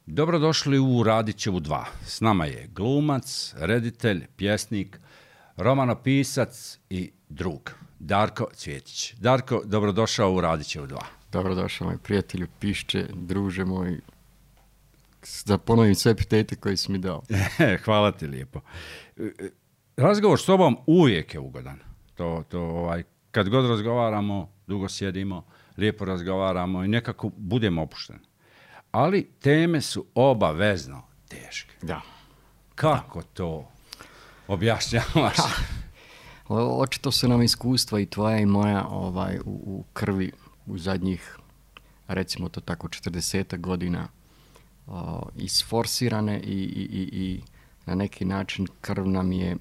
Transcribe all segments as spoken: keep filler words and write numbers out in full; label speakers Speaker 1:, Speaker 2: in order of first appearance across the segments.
Speaker 1: Dobrodošli u Radićevu dva. S nama je glumac, reditelj, pjesnik, romanopisac i drug, Darko Cvjetić. Darko, dobrodošao u Radićevu dva.
Speaker 2: Dobrodošao, moj prijatelju, pišče, druže moj, da ponovim sve epitete koje si mi dao.
Speaker 1: Hvala ti lijepo. Razgovor s tobom uvijek je ugodan. To, to, ovaj, kad god razgovaramo, dugo sjedimo, lijepo razgovaramo i nekako budemo opušteni. Ali teme su obavezno teške.
Speaker 2: Da.
Speaker 1: Kako da. To objašnjavaš?
Speaker 2: O, očito su nam iskustva i tvoja i moja ovaj, u, u krvi u zadnjih, recimo to tako, četrdesetak godina o, isforsirane i, i, i, i na neki način krv nam je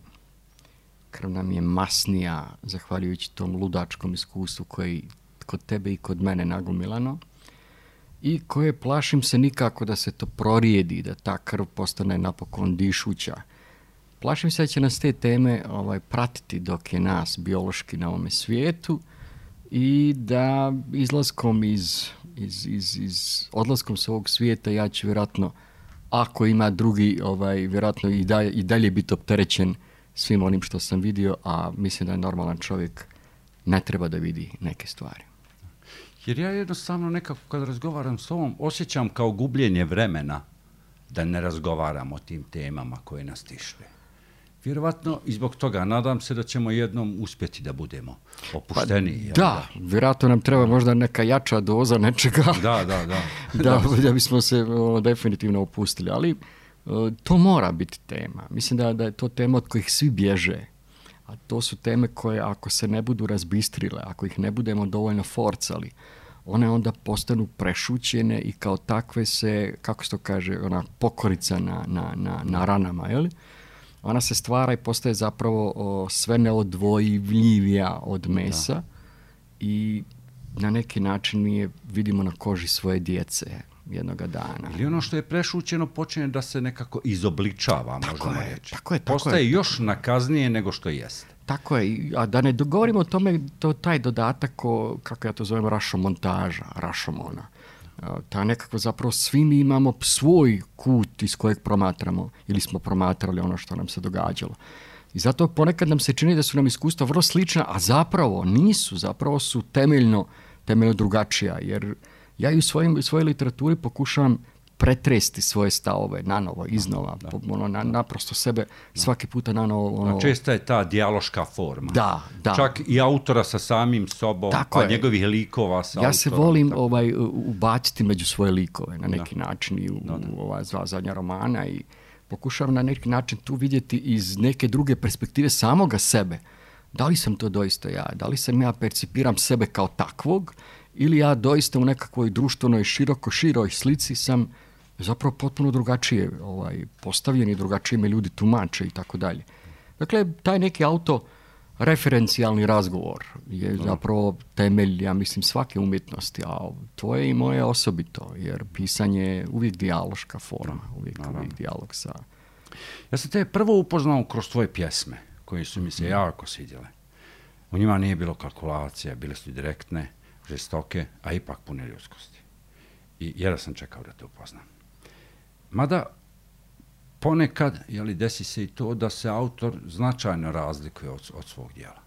Speaker 2: krv nam je masnija zahvaljujući tom ludačkom iskustvu koje kod tebe i kod mene nagomilano. I koje plašim se nikako da se to prorijedi, da ta krv postane napokon dišuća. Plašim se da će nas te teme ovaj, pratiti dok je nas biološki na ovome svijetu i da izlaskom iz, iz, iz, iz odlaskom s ovog svijeta ja ću vjerojatno, ako ima drugi, ovaj, vjerojatno i, da, i dalje biti opterećen svim onim što sam vidio, a mislim da je normalan čovjek ne treba da vidi neke stvari.
Speaker 1: Jer ja jednostavno nekako kad razgovaram s ovom osjećam kao gubljenje vremena da ne razgovaram o tim temama koje nas tište. Vjerovatno i zbog toga nadam se da ćemo jednom uspjeti da budemo opušteni.
Speaker 2: Pa, da, vjerojatno nam treba možda neka jača doza nečega
Speaker 1: da, da, da.
Speaker 2: da, da bismo se o, definitivno opustili. Ali o, to mora biti tema. Mislim da, da je to tema od kojih svi bježe. A to su teme koje ako se ne budu razbistrile, ako ih ne budemo dovoljno forcali, one onda postanu prešućene i kao takve se, kako se to kaže, ona pokorica na, na, na, na ranama, je li? Ona se stvara i postaje zapravo o, sve neodvojivljivija od mesa da. I na neki način mi je vidimo na koži svoje djece jednoga dana.
Speaker 1: Ili ono što je prešućeno počinje da se nekako izobličava,
Speaker 2: tako
Speaker 1: možemo
Speaker 2: je,
Speaker 1: reći.
Speaker 2: Tako je, tako
Speaker 1: postaje
Speaker 2: je.
Speaker 1: još nakaznije nego što jeste.
Speaker 2: Tako je, a da ne govorimo o tome, to, taj dodatak, o, kako ja to zovem, rašomontaža, rašomona. Ta nekako zapravo svi mi imamo svoj kut iz kojeg promatramo ili smo promatrali ono što nam se događalo. I zato ponekad nam se čini da su nam iskustva vrlo slična, a zapravo nisu, zapravo su temeljno, temeljno drugačija, jer ja i u svojim, svojoj literaturi pokušavam pretresti svoje stavove nanovo, iznova, da, da, ono, na, naprosto sebe da. Svaki puta nanovo. Ono...
Speaker 1: Česta je ta dijaloška forma.
Speaker 2: Da, da.
Speaker 1: Čak i autora sa samim sobom,
Speaker 2: tako
Speaker 1: pa
Speaker 2: je.
Speaker 1: Njegovih likova sa
Speaker 2: ja
Speaker 1: autorom.
Speaker 2: Ja se volim ovaj, ubaciti među svoje likove na neki da. Način i u,
Speaker 1: da, da.
Speaker 2: u ova dva zadnja romana i pokušavam na neki način tu vidjeti iz neke druge perspektive samoga sebe. Da li sam to doista ja? Da li sam ja percipiram sebe kao takvog ili ja doista u nekakvoj društvenoj široko široj slici sam zapravo potpuno drugačije ovaj, postavljeni, drugačije me ljudi tumače i tako dalje. Dakle, taj neki autoreferencijalni razgovor je no. zapravo temelj, ja mislim, svake umjetnosti, a tvoje i moje osobito, jer pisanje je uvijek dijaloška forma, uvijek, no, uvijek dijalog sa...
Speaker 1: Ja sam te prvo upoznao kroz tvoje pjesme, koje su mi se mm-hmm. jako svidjele. U njima nije bilo kalkulacija, bile su direktne, žestoke, a ipak pune ljudskosti. I jedva sam čekao da te upoznam. Mada ponekad, jeli, desi se i to da se autor značajno razlikuje od, od svog djela.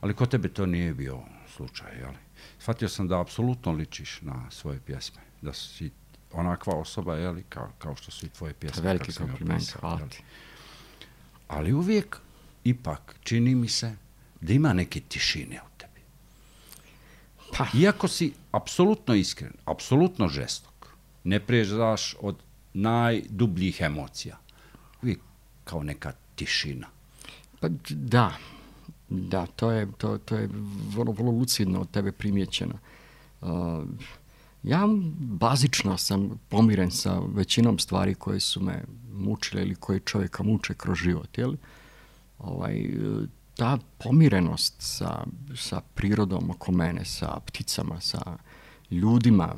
Speaker 1: Ali kod tebe to nije bio slučaj, jeli? Shvatio sam da apsolutno ličiš na svoje pjesme, da si onakva osoba, jeli, kao, kao što su i tvoje pjesme.
Speaker 2: Veliki kompliment, hvala ti.
Speaker 1: Ali uvijek, ipak, čini mi se da ima neke tišine u tebi. Pa. Iako si apsolutno iskren, apsolutno žestok, ne priježdaš od najdubljih emocija. Uvijek kao neka tišina.
Speaker 2: Pa da, da, to je, to, to je vrlo, vrlo lucidno od tebe primjećeno. Uh, ja bazično sam pomiren sa većinom stvari koje su me mučile ili koje čovjeka muče kroz život. Jel? Ovaj, ta pomirenost sa, sa prirodom oko mene, sa pticama, sa ljudima,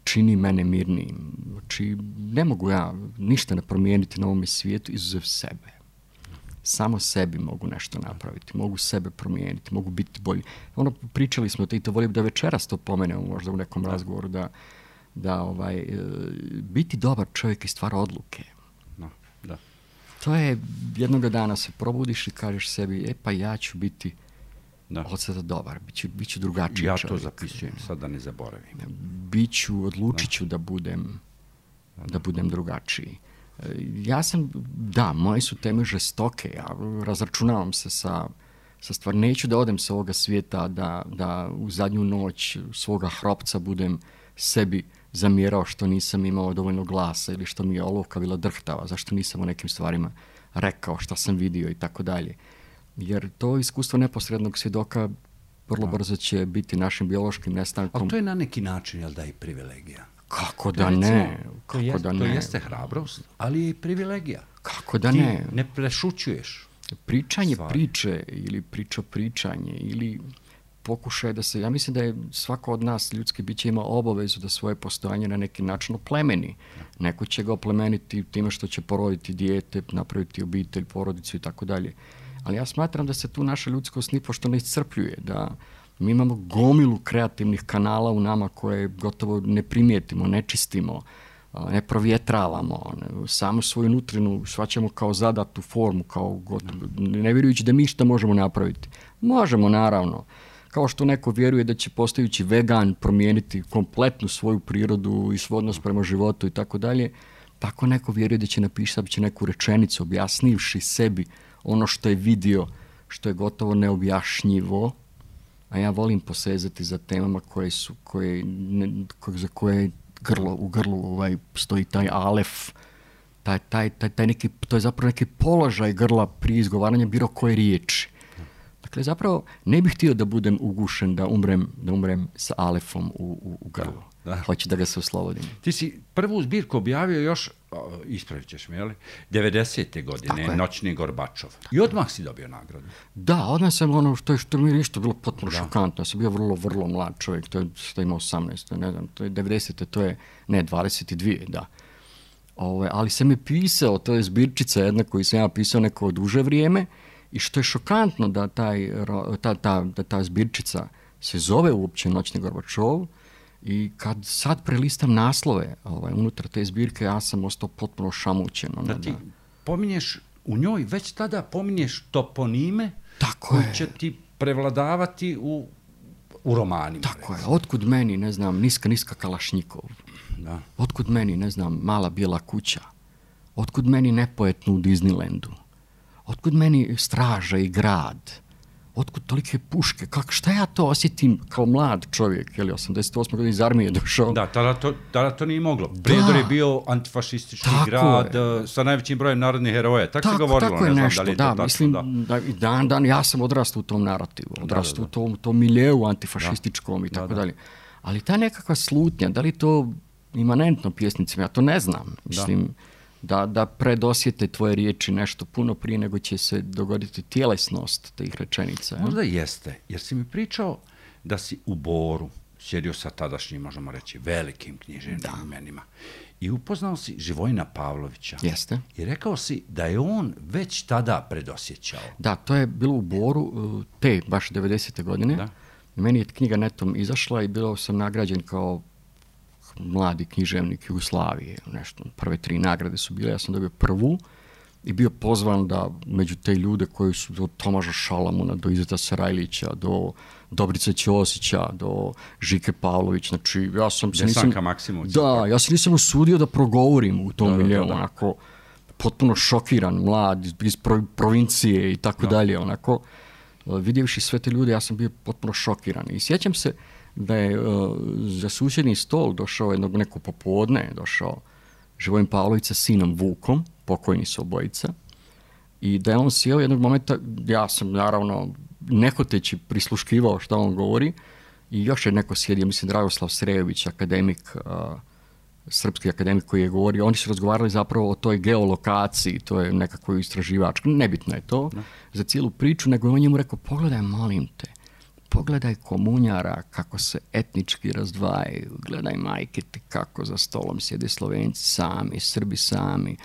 Speaker 2: čini mene mirnijim. Znači, ne mogu ja ništa ne promijeniti na ovome svijetu izuzev sebe. Samo sebi mogu nešto napraviti, mogu sebe promijeniti, mogu biti bolji. Ono, pričali smo, i to volim da večeras to pomenemo možda u nekom razgovoru, da da ovaj, biti dobar čovjek i stvara odluke.
Speaker 1: No, da.
Speaker 2: To je, jednoga dana se probudiš i kažeš sebi, e pa ja ću biti da. Od sada dobar, bit ću, bit ću drugačiji
Speaker 1: ja
Speaker 2: čovjek.
Speaker 1: Ja to zapisujem, sad da ne zaboravim.
Speaker 2: Biću, odlučit ću da, da budem, da, da budem drugačiji. Ja sam, da, moje su teme žestoke, ja razračunavam se sa, sa stvar, neću da odem sa ovoga svijeta, da, da u zadnju noć svoga hropca budem sebi zamjerao što nisam imao dovoljno glasa ili što mi je olovka bila drhtava, zašto nisam o nekim stvarima rekao šta sam vidio i tako dalje. Jer to iskustvo neposrednog svjedoka vrlo da. brzo će biti našim biološkim nestankom.
Speaker 1: Ali to je na neki način, jel da, i privilegija?
Speaker 2: Kako da ne? Kako
Speaker 1: to, jest,
Speaker 2: da ne?
Speaker 1: To jeste hrabrost, ali je i privilegija.
Speaker 2: Kako da
Speaker 1: Ti
Speaker 2: ne?
Speaker 1: ne prešućuješ.
Speaker 2: Pričanje
Speaker 1: stvari. priče
Speaker 2: ili priča pričanje ili pokušaj da se, ja mislim da je svako od nas ljudski biće ima obavezu da svoje postojanje na neki način oplemeni. Neko će ga oplemeniti time što će poroditi dijete, napraviti obitelj, porodicu i tako dalje. Ali ja smatram da se tu naša ljudskost nipošto ne iscrpljuje, da mi imamo gomilu kreativnih kanala u nama koje gotovo ne primijetimo, ne čistimo, ne provjetravamo, ne, samo svoju nutrinu shvaćamo kao zadatu formu, kao gotovo, ne vjerujući da mi šta možemo napraviti. Možemo, naravno. Kao što neko vjeruje da će postajući vegan promijeniti kompletnu svoju prirodu i svoj odnos prema životu i tako dalje, tako neko vjeruje da će napisati neku rečenicu objasnivši sebi ono što je vidio, što je gotovo neobjašnjivo, a ja volim posezati za temama koje su, koje, ne, za koje grlo, u grlu ovaj, stoji taj alef, taj, taj, taj, taj neki, to je zapravo neki položaj grla prije izgovaranja bilo koje riječi. Dakle, zapravo ne bih htio da budem ugušen, da umrem, da umrem sa alefom u, u, u grlu. Da, da. Hoću da ga se oslobodim.
Speaker 1: Ti si prvu zbirku objavio još, ispravit ćeš me, jel? devedesete godine, Noćni Gorbačov. I odmah si dobio nagradu.
Speaker 2: Da, odmah sam ono što je, što mi je isto bilo potpuno da. šokantno. Ja sam bio vrlo, vrlo mlad čovjek, to je što ima osamnaest, to je, ne znam, to je devedesete, to je, ne, dvadeset dvije, da. Ove, ali sam je pisao, to je zbirčica jedna koju sam ja pisao neko duže vrijeme, i što je šokantno da taj, ta, ta, da ta zbirčica se zove uopće Noćni Gorbačov i kad sad prelistam naslove ovaj, unutar te zbirke, ja sam ostao potpuno šamućen.
Speaker 1: Da ti pominješ, u njoj već tada pominješ toponime
Speaker 2: tako
Speaker 1: koji
Speaker 2: je.
Speaker 1: će ti prevladavati u, u romanima.
Speaker 2: Tako recimo. je, otkud meni, ne znam, niska, niska Kalašnjikov. Da. Otkud meni, ne znam, Mala bijela kuća. Otkud meni Nepoetno u Disneylandu. Otkud meni Straža i grad? Otkud tolike puške? Kako, šta ja to osjetim kao mlad čovjek? Je li osamdeset osme godine iz armije došao?
Speaker 1: Da, tada to, tada to nije moglo. Prijedor je bio antifašistički grad je. sa najvećim brojem narodnih heroja. Tako, tako se govorilo,
Speaker 2: tako
Speaker 1: ne znam
Speaker 2: nešto,
Speaker 1: da li je
Speaker 2: da,
Speaker 1: to tako.
Speaker 2: Mislim,
Speaker 1: da.
Speaker 2: da, dan, dan, ja sam odrastao u tom narativu. Odrastao da, da, da. u tom, tom miljeu antifašističkom da. i tako da, da. dalje. Ali ta nekakva slutnja, da li to imanentno pjesnicima, ja to ne znam. Mislim, da. Da, da predosjete tvoje riječi nešto puno prije nego će se dogoditi tjelesnost tih rečenica. Ja?
Speaker 1: Možda jeste, jer si mi pričao da si u Boru sjedio sa tadašnjim, možemo reći, velikim književnim imenima i upoznao si Živojina Pavlovića.
Speaker 2: Jeste.
Speaker 1: I rekao si da je on već tada predosjećao.
Speaker 2: Da, to je bilo u Boru te baš devedesete godine. Da. Meni je knjiga netom izašla i bilo sam nagrađen kao mladi književnik Jugoslavije, nešto, prve tri nagrade su bile, ja sam dobio prvu i bio pozvan da među te ljude koji su do Tomaža Šalamuna, do Izeta Sarajlića, do Dobrice Ćosića, do Žike Pavlović, znači ja sam se nisam... Da, ja se nisam usudio da progovorim u tom miljeu, onako potpuno šokiran, mlad, iz provincije i tako da. dalje, onako, vidjevši sve te ljude, ja sam bio potpuno šokiran i sjećam se da je uh, za susjedni stol došao jednog neko popodne, došao Živojin Pavlović sa sinom Vukom, pokojni su obojica, i da je on sjeo jednog momenta, ja sam naravno nehoteći prisluškivao što on govori, i još je neko sjedio, mislim Dragoslav Srejović, akademik, uh, srpski akademik koji je govorio, oni su razgovarali zapravo o toj geolokaciji, to je nekako istraživač, nebitno je to, no. za cijelu priču, nego je on njemu rekao, pogledaj, molim te, pogledaj komunjara kako se etnički razdvajaju, gledaj majke ti kako za stolom sjede Slovenci sami, Srbi sami,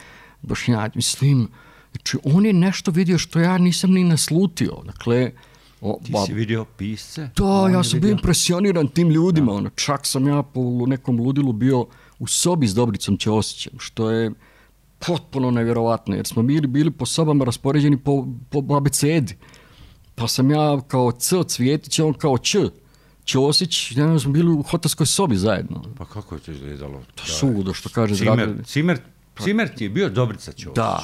Speaker 2: Bošnjaci, mislim, znači on je nešto vidio što ja nisam ni naslutio, dakle, O,
Speaker 1: Ti
Speaker 2: ba,
Speaker 1: si vidio pisce?
Speaker 2: Da, ja sam bio impresioniran tim ljudima. Ono, čak sam ja po nekom ludilu bio u sobi s Dobricom Ćosićem, što je potpuno nevjerovatno, jer smo bili, bili po sobama raspoređeni po, po abecedi. Pa sam ja kao C Cvjetić, on kao Č. Ćosić, ja smo bili u hotelskoj sobi zajedno.
Speaker 1: Pa kako je to izgledalo?
Speaker 2: To suludo, što kaže
Speaker 1: Cimer,
Speaker 2: Dragan.
Speaker 1: Cimer, Cimer ti je bio Dobrica Ćosića.
Speaker 2: Da,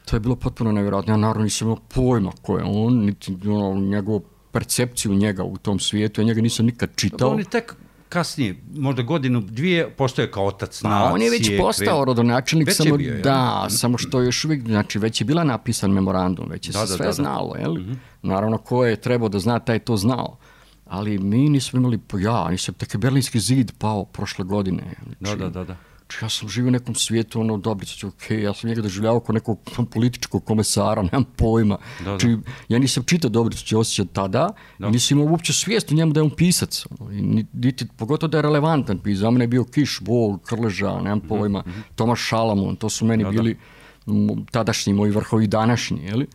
Speaker 2: to je bilo potpuno nevjerojatno. Ja naravno nisam imao pojma ko je on, niti ono, njegovu percepciju njega u tom svijetu, ja njega nisam nikad čitao.
Speaker 1: On je tek kasnije, možda godinu, dvije, postoje kao otac nacije.
Speaker 2: On je već postao rodonačelnik,
Speaker 1: već
Speaker 2: samo,
Speaker 1: je bio,
Speaker 2: da,
Speaker 1: ja.
Speaker 2: samo što još uvijek, znači već je bila napisan memorandum, već je
Speaker 1: da,
Speaker 2: se
Speaker 1: da,
Speaker 2: sve
Speaker 1: da,
Speaker 2: znalo,
Speaker 1: da.
Speaker 2: jel?
Speaker 1: Mm-hmm.
Speaker 2: Naravno, ko je trebao da zna, taj to znao. Ali mi nismo imali, ja, nisam, tek je Berlinski zid pao prošle godine. Znači,
Speaker 1: da, da, da, da.
Speaker 2: Ja sam živio u nekom svijetu, ono, Dobrica, ok, ja sam njega doživljavao kao nekog političkog komesara, nemam pojma.
Speaker 1: Da,
Speaker 2: znači,
Speaker 1: da.
Speaker 2: ja nisam čitao Dobrica Ćosića tada, da. I nisam imao uopće svijest u njemu da je on pisac. Ono, i niti, pogotovo da je relevantan pisac. Za mene je bio Kiš, Bog, Krleža, nemam pojma, mm-hmm. Tomaš Šalamun, to su meni da, bili da. tadašnji moji vrhovi današnji, jeli?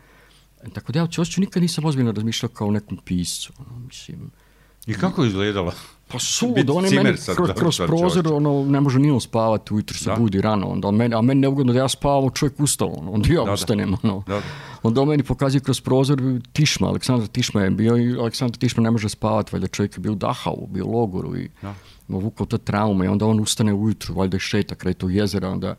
Speaker 2: Tako da ja o Ćosiću nikad nisam ozbiljno razmišljao kao o nekom piscu. Ono, mislim...
Speaker 1: I kako je izgledalo?
Speaker 2: Pa suludo, on je meni kroz, kroz prozor, ono, ne može ni on spavati, ujutro se da. Budi rano, onda meni, a meni neugodno da ja spavam, čovjek ustao, ono, onda ja da, ustanem, ono. Da, da. Onda on meni pokazuje kroz prozor Tišma, Aleksandar Tišma je bio i Aleksandar Tišma ne može spavati, valjda čovjek je bio u Dachau, bio u logoru i vukao to traume i onda on ustane ujutro, valjda i šeta kraj tog jezera, onda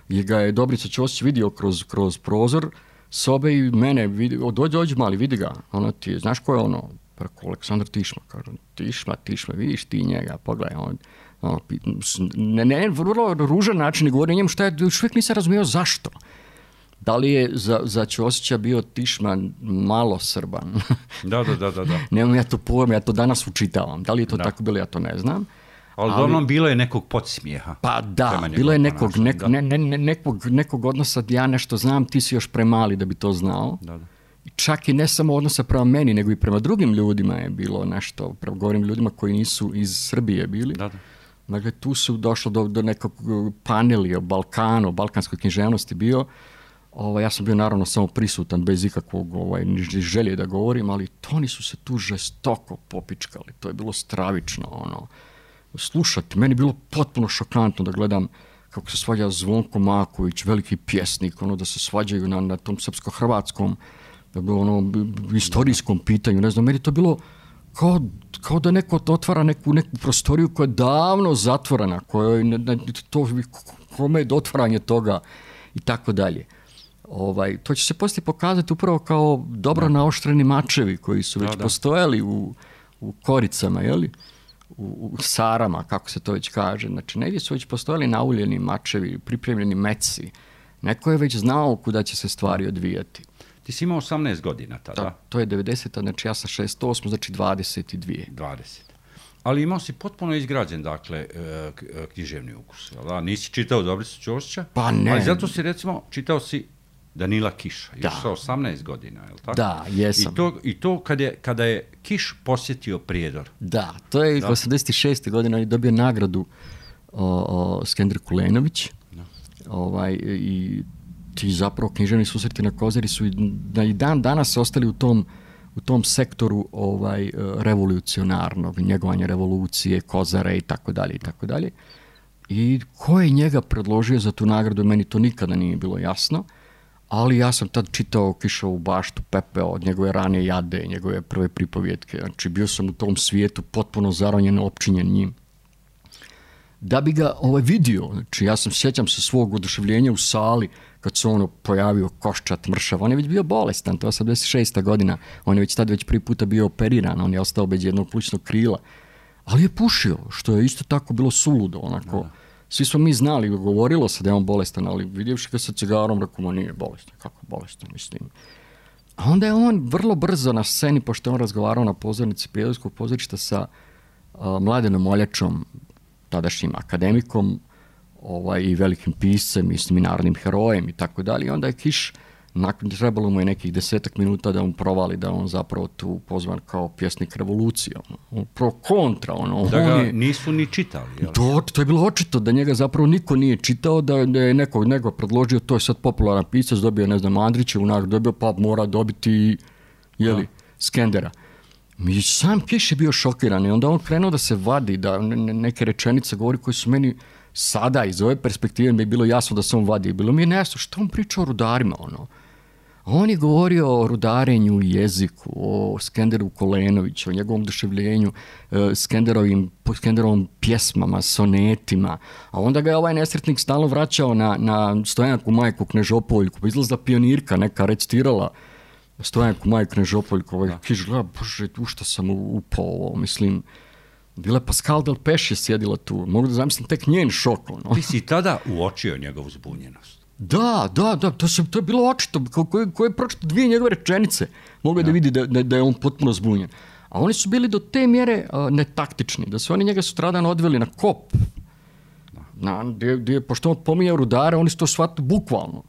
Speaker 2: je ga je Dobrica Ćosić vidio kroz, kroz prozor sobe i mene vidi, dođi, dođi mali, vidi ga, ono ti, znaš ko je ono? Preko Aleksandar Tišma, kažu, Tišma, Tišma, vidiš ti njega, pogledaj, on, on ne, ne, vrlo ružan način govori o njemu, šta je, još uvijek nisam razumio zašto. Da li je za, za Ćosića bio Tišma malo Srban?
Speaker 1: Da, da, da, da. da.
Speaker 2: Nemam ja to pojem, ja to danas učitavam. Da li je to da. Tako bilo, ja to ne znam.
Speaker 1: Ali uglavnom bilo je nekog podsmijeha.
Speaker 2: Pa da, bilo je nekog, nek, ne, ne, ne, nekog, nekog odnosa, ja nešto znam, ti si još premali da bi to znao. Da, da. Čak i ne samo odnosa prema meni, nego i prema drugim ljudima je bilo nešto, prema govorim ljudima koji nisu iz Srbije bili. Da, da. Dakle, tu su došlo do, do nekog paneli o Balkanu, o balkanskoj književnosti bio. Ovo, ja sam bio naravno samo prisutan, bez ikakvog ovaj, želje da govorim, ali oni su se tu žestoko popičkali. To je bilo stravično. Ono. Slušati, meni je bilo potpuno šokantno da gledam kako se svađa Zvonko Maković, veliki pjesnik, ono, da se svađaju na, na tom srpsko-hrvatskom da bilo ono istorijskom pitanju, ne znam, meni to bilo kao, kao da neko otvara neku, neku prostoriju koja je davno zatvorena, koja ne, ne, to, kome je otvaranje toga i tako dalje. Ovaj, to će se poslije pokazati upravo kao dobro naoštreni mačevi koji su već da, da. postojali u, u koricama, jeli? U, u sarama, kako se to već kaže. Znači, negdje su već postojali nauljeni mačevi, pripremljeni meci. Neko je već znao kuda će se stvari odvijati.
Speaker 1: Ti si imao osamnaest godina tada.
Speaker 2: Da, to je devedeseta, znači ja sam šezdeset osma, znači dvadeset dvije.
Speaker 1: dvadeset. Ali imao si potpuno izgrađen, dakle, književni ukus. Da? Nisi čitao Dobricu Ćosića?
Speaker 2: Pa ne.
Speaker 1: Ali zato si, recimo, čitao si Danila Kiša. Da. Još sa osamnaest godina, je li tako?
Speaker 2: Da, jesam.
Speaker 1: I to, i to kada, je, kada je Kiš posjetio Prijedor.
Speaker 2: Da, to je osamdeset šeste godine, on je dobio nagradu o, o, Skender Kulenović. Da. Ovaj, i ti zapravo književni susreti na Kozari su i, i dan danas ostali u tom, u tom sektoru ovaj, revolucionarnog, njegovanja revolucije, Kozare i tako dalje i tako dalje. I ko je njega predložio za tu nagradu, meni to nikada nije bilo jasno, ali ja sam tad čitao Kišovu baštu, Pepeo, od njegove rane jade, njegove prve pripovjetke, znači bio sam u tom svijetu potpuno zaronjen, opčinjen njim. Da bi ga ovaj vidio, znači ja sam sjećam se svog oduševljenja u sali kad se ono pojavio koščat, mršav, on je već bio bolestan, to je osamdeset šesta godina, on je već tad već prvi puta bio operiran, on je ostao bez jednog plućnog krila, ali je pušio, što je isto tako bilo suludo, onako, da. Svi smo mi znali, govorilo se da je on bolestan, ali vidjevši ga sa cigarom, rekao, nije bolestan, kako bolestan, mislim. A onda je on vrlo brzo na sceni, pošto je on razgovarao na pozornici Prijedorskog pozorišta sa uh, Mladenom Moljačom, tadašnjim akademikom, ovaj, i velikim piscem, mislim, i narodnim herojem i tako dalje. I onda je Kiš, nakon trebalo mu je nekih desetak minuta da on provali da on zapravo tu pozvan kao pjesnik revolucije. On pro kontra. Ono,
Speaker 1: da ga
Speaker 2: je,
Speaker 1: nisu ni čitali.
Speaker 2: To, to je bilo očito da njega zapravo niko nije čitao, da je neko, neko predložio, to je sad popularan pisac, dobio, ne znam, Andrićevu nagradu, dobio, pa mora dobiti, jeli, Skendera. Mi sam Kiš je bio šokiran i onda on krenuo da se vadi, da neke rečenice govori koje su meni sada iz ove perspektive mi je bilo jasno da se on vadi. Bilo mi je nejasno što on priča o rudarima, ono. On je govorio o rudarenju, jeziku, o Skenderu Kolenoviću, o njegovom oduševljenju, Skenderovim, Skenderovim pjesmama, sonetima. A onda ga je ovaj nesretnik stalno vraćao na, na Stojanku Majku Knežopoljku. Pa izlazila pionirka, neka recitirala Stojanku Majku Knežopoljku. Ovaj Kiš gleda, bože, u što sam upao ovo, mislim... Bila je Pascal Delpech je sjedila tu. Mogu da zamislim tek njen šok. Ono.
Speaker 1: Ti si tada uočio njegovu zbunjenost.
Speaker 2: Da, da, da, to, se, to je bilo očito. Ko, ko, ko je pročito dvije njegove rečenice, mogu da, da vidi da, da, da je on potpuno zbunjen. A oni su bili do te mjere uh, netaktični, da su oni njega sutradan odveli na kop. Na, gdje, gdje, pošto on pominjao rudare, oni su to shvatili bukvalno.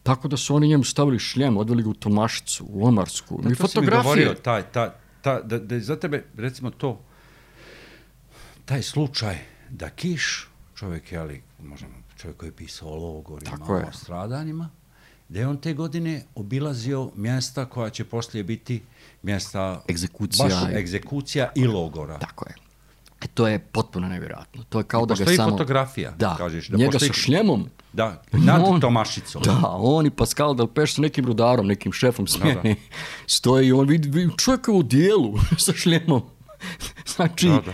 Speaker 2: Tako da su oni njemu stavili šljem, odveli ga u Tomašicu, u Omarsku.
Speaker 1: Da,
Speaker 2: i
Speaker 1: to
Speaker 2: fotografije.
Speaker 1: Si mi govorio, taj, ta, ta, da, da je za tebe, recimo to, taj slučaj da Kiš, čovjek, jeli, možemo, čovjek koji je pisao o logorima, o stradanjima, da je on te godine obilazio mjesta koja će poslije biti mjesta
Speaker 2: egzekucija,
Speaker 1: baš egzekucija i logora.
Speaker 2: Tako je. E, to je potpuno nevjerojatno. To je kao
Speaker 1: I
Speaker 2: da ga samo...
Speaker 1: Postoji fotografija,
Speaker 2: da,
Speaker 1: kažeš. Da
Speaker 2: njega
Speaker 1: postoji...
Speaker 2: sa šljemom.
Speaker 1: Da, nad
Speaker 2: on,
Speaker 1: Tomašicom.
Speaker 2: Da, on i Pascal Delpech s nekim rudarom, nekim šefom smjene, da, da. stoji i on vidi, vidi čovjeka u dijelu sa šljemom. Znači, da, da.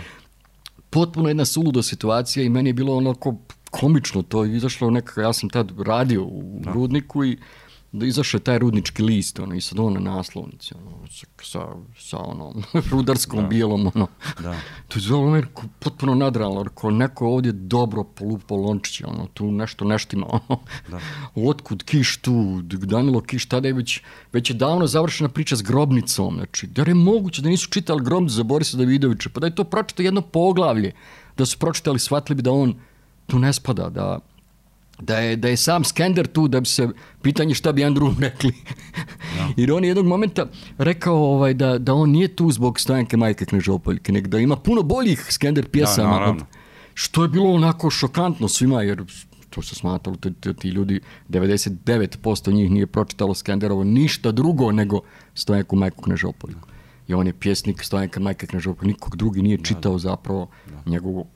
Speaker 2: potpuno jedna suluda situacija i meni je bilo onako komično to. Izašlo nekako, ja sam tad radio u da. Rudniku i da izašao je taj rudnički list, ono, i sad on na naslovnici, ono, sa, sa onom rudarskom da. bijelom, ono. Da. To je zvalo meni potpuno nadrealno, ko neko ovdje dobro polupo lončiće, ono, tu nešto neštima, ono. Da. Otkud Kiš tu, Danilo Kiš, tada je već, već je davno završena priča s grobnicom, znači, da je moguće da nisu čitali grobnicu za Borisa Davidovića, pa da je to pročito jedno poglavlje, da su pročitali, shvatili bi da on tu ne spada, da Da je, da je sam Skender tu, da bi se pitanje šta bi Andrew rekli. No. Jer on je jednog momenta rekao ovaj, da, da on nije tu zbog Stojanke Majke Knežopoljke, nego da ima puno boljih Skender pjesama. Da, od, što je bilo onako šokantno svima, jer to se smatralo, ti, ti ljudi, devedeset devet posto njih nije pročitalo Skenderovo ništa drugo nego Stojanku Majku Knežopoljku. I on je pjesnik Stojanka Majke Knežopoljke, nikog drugi nije čitao zapravo da. njegovu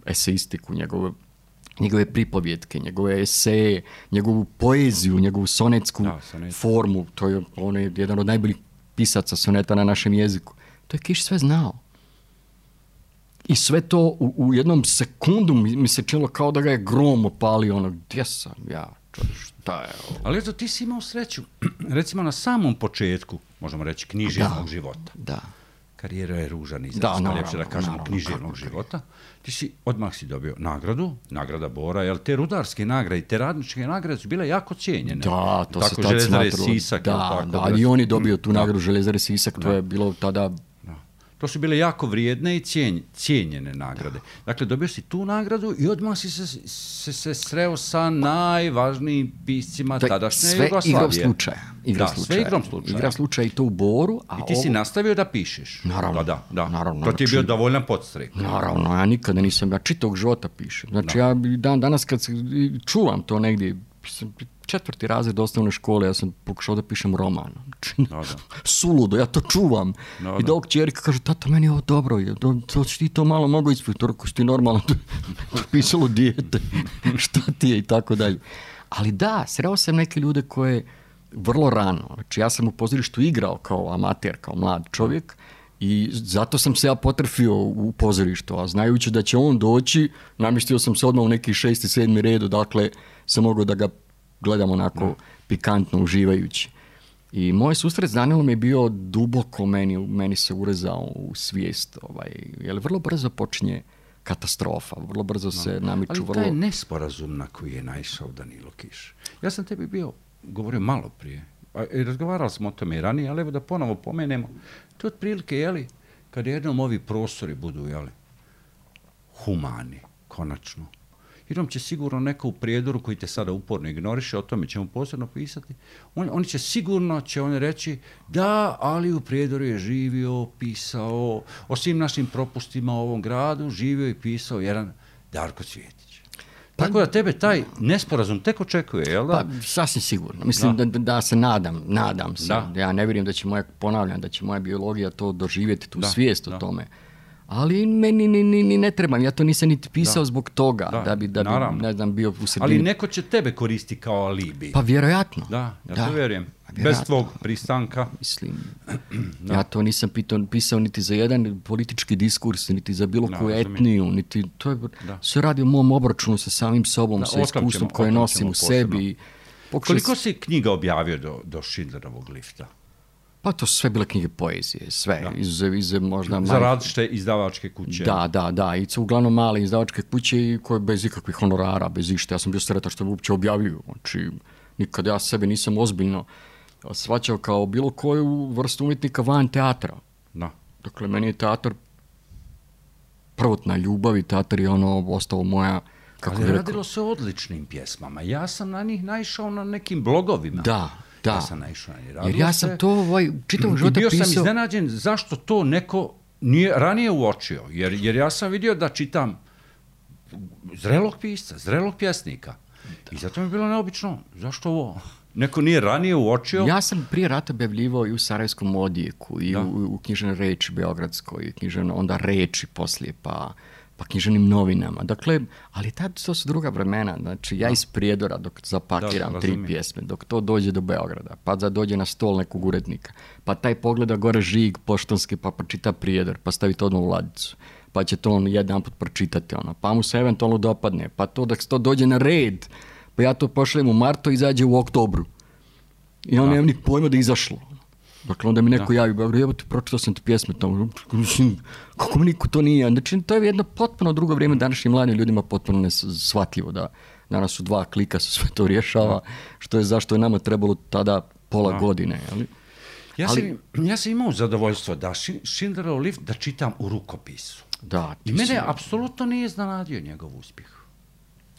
Speaker 2: eseistiku, njegove njegove pripovjetke, njegove eseje, njegovu poeziju, njegovu sonetsku da, sonet. formu. To je, on je jedan od najboljih pisaca soneta na našem jeziku. To je Kiš sve znao. I sve to u, u jednom sekundu mi, mi se činilo kao da ga je grom opalio. Ono, gdje sam ja? Šta je ovo?
Speaker 1: Ali eto, ti si imao sreću. Recimo na samom početku, možemo reći, književnog da, života.
Speaker 2: Da.
Speaker 1: Karijera je ružan izraz, da, ljepše da kažemo
Speaker 2: naravno,
Speaker 1: književnog života. Ti si, odmah si dobio nagradu, nagrada Bora, jer te rudarske nagrade i te radničke nagrade su bile jako cijenjene.
Speaker 2: Da, to
Speaker 1: tako,
Speaker 2: se tad
Speaker 1: Željezare
Speaker 2: smatralo.
Speaker 1: Sisak.
Speaker 2: Da,
Speaker 1: tako,
Speaker 2: da, ali i on je dobio tu nagradu Željezare Sisak, to
Speaker 1: da.
Speaker 2: je bilo tada...
Speaker 1: To su bile jako vrijedne i cijenj, cijenjene nagrade. Da. Dakle, dobio si tu nagradu i odmah si se, se, se sreo sa najvažnijim piscima da, tadašnje Jugoslavije.
Speaker 2: Sve igrom slučaja. Igra
Speaker 1: da,
Speaker 2: slučaja.
Speaker 1: sve igrom slučaja.
Speaker 2: Igra slučaja i to u Boru. A
Speaker 1: I ti ovo... si nastavio da pišeš.
Speaker 2: Naravno.
Speaker 1: Da, da, da.
Speaker 2: Naravno,
Speaker 1: to ti je bio
Speaker 2: znači,
Speaker 1: dovoljan podstrek.
Speaker 2: Naravno, ja nikada nisam, ja čitavog života pišem. Znači, da. ja dan, danas kad se, čuvam to negdje, četvrti razred osnovne škole, ja sam pokušao da pišem roman. No, da. Suludo, ja to čuvam. No, I da ovog čerika kaže, tata, meni je ovo dobro, je, to, to ti to malo mogu ispiti, to ako si ti normalno pisalo dijete, šta ti je i tako dalje. Ali da, sreo sam neke ljude koje vrlo rano, znači ja sam u pozorištu igrao kao amater, kao mlad čovjek i zato sam se ja potrefio u pozorištu, a znajući da će on doći, namjestio sam se odmah u neki šesti, sedmi redu, dakle sam mogao da ga gledam onako no. pikantno, uživajući. I moj susret s Danilom je bio duboko meni, meni se urezao u svijest, ovaj, jer vrlo brzo počinje katastrofa, vrlo brzo no. se namiču.
Speaker 1: Ali
Speaker 2: vrlo...
Speaker 1: taj nesporazum na koji je naišao Danilo Kiš. Ja sam tebi bio, govorio malo prije, i razgovarali smo o tome i ranije, ali evo da ponovo pomenemo, to je otprilike, jeli, kad jednom ovi prostori budu, jeli, humani, konačno, jer će sigurno neko u prijedoru koji te sada uporno ignoriše, o tome ćemo posebno pisati, on, oni će sigurno će oni reći da, ali u prijedoru je živio, pisao, o svim našim propustima u ovom gradu, živio i pisao jedan Darko Cvjetić. Tako da tebe taj nesporazum tek očekuje, jel da?
Speaker 2: Pa, sasvim sigurno. Mislim da, da, da se nadam, nadam se. Da. Ja ne vjerujem da će moja, ponavljam, da će moja biologija to doživjeti, tu da, svijest da. o tome. Ali meni ni, ni, ni ne trebam, ja to nisam niti pisao da. zbog toga, da, da bi, da bi ne znam, bio u sredini.
Speaker 1: Ali neko će tebe koristi kao alibi.
Speaker 2: Pa vjerojatno.
Speaker 1: Da, ja da. to vjerujem. Bez tvog pristanka.
Speaker 2: Mislim, ja to nisam pitao, pisao niti za jedan politički diskurs, niti za bilo koju etniju, niti, to je, sve radi o mom obračunu sa samim sobom, da, sa iskustvom koje nosim u sebi.
Speaker 1: Pokušali... Koliko si knjiga objavio do, do Schindlerovog lifta?
Speaker 2: Pa to su sve bile knjige poezije, sve, iz, iz možda...
Speaker 1: Za različite izdavačke kuće.
Speaker 2: Da, da, da, i su uglavnom male izdavačke kuće koje bez ikakvih honorara, bez išta. Ja sam bio sretan što me uopće objavljuju, znači nikad ja sebe nisam ozbiljno shvaćao kao bilo koju vrstu umjetnika van teatra.
Speaker 1: Da.
Speaker 2: Dakle, meni je teatar prvotna ljubav i teatar je ono ostalo moja, kako
Speaker 1: Ali radilo se o odličnim pjesmama. Ja sam na njih naišao na nekim blogovima.
Speaker 2: Da, da.
Speaker 1: Ja sam naišao na njih.
Speaker 2: Jer ja sam se... to ovaj, čitavog života pisao.
Speaker 1: I bio sam iznenađen zašto to neko nije ranije uočio. Jer, jer ja sam vidio da čitam zrelog pisca, zrelog pjesnika. Da. I zato mi je bilo neobično. Zašto ovo... Neko nije ranije uočio?
Speaker 2: Ja sam prije rata objavljivao i u Sarajevskom odjeku, i u, u knjižnoj Reči Beogradskoj, knjižnoj onda Reči poslije, pa, pa književnim novinama. Dakle, ali tad to su druga vremena. Znači, ja da. iz Prijedora dok zapakiram da, tri pjesme, dok to dođe do Beograda, pa da dođe na stol nekog urednika, pa taj pogleda gore žig poštanski, pa pročita Prijedor, pa stavi to odmah u ladicu, pa će to on jedan put pročitati, ono, pa mu se eventualno dopadne, pa to dok to dođe na red, pa ja to pošaljem u martu i izađe u oktobru. I on nema ni pojma da je izašlo. Dakle, onda mi neko da. javi, evo ti pročitao sam ti pjesme tamo. Kako mi niko to nije? Znači, to je jedno potpuno drugo vrijeme današnjim mladim ljudima potpuno neshvatljivo. Da danas su dva klika, se sve to rješava, što je zašto je nama trebalo tada pola da. godine. Ali,
Speaker 1: ja, ali, sam, ja sam imao zadovoljstvo da Schindlerov lift da čitam u rukopisu.
Speaker 2: Da,
Speaker 1: I mene si... apsolutno nije iznenadio njegov uspjeh.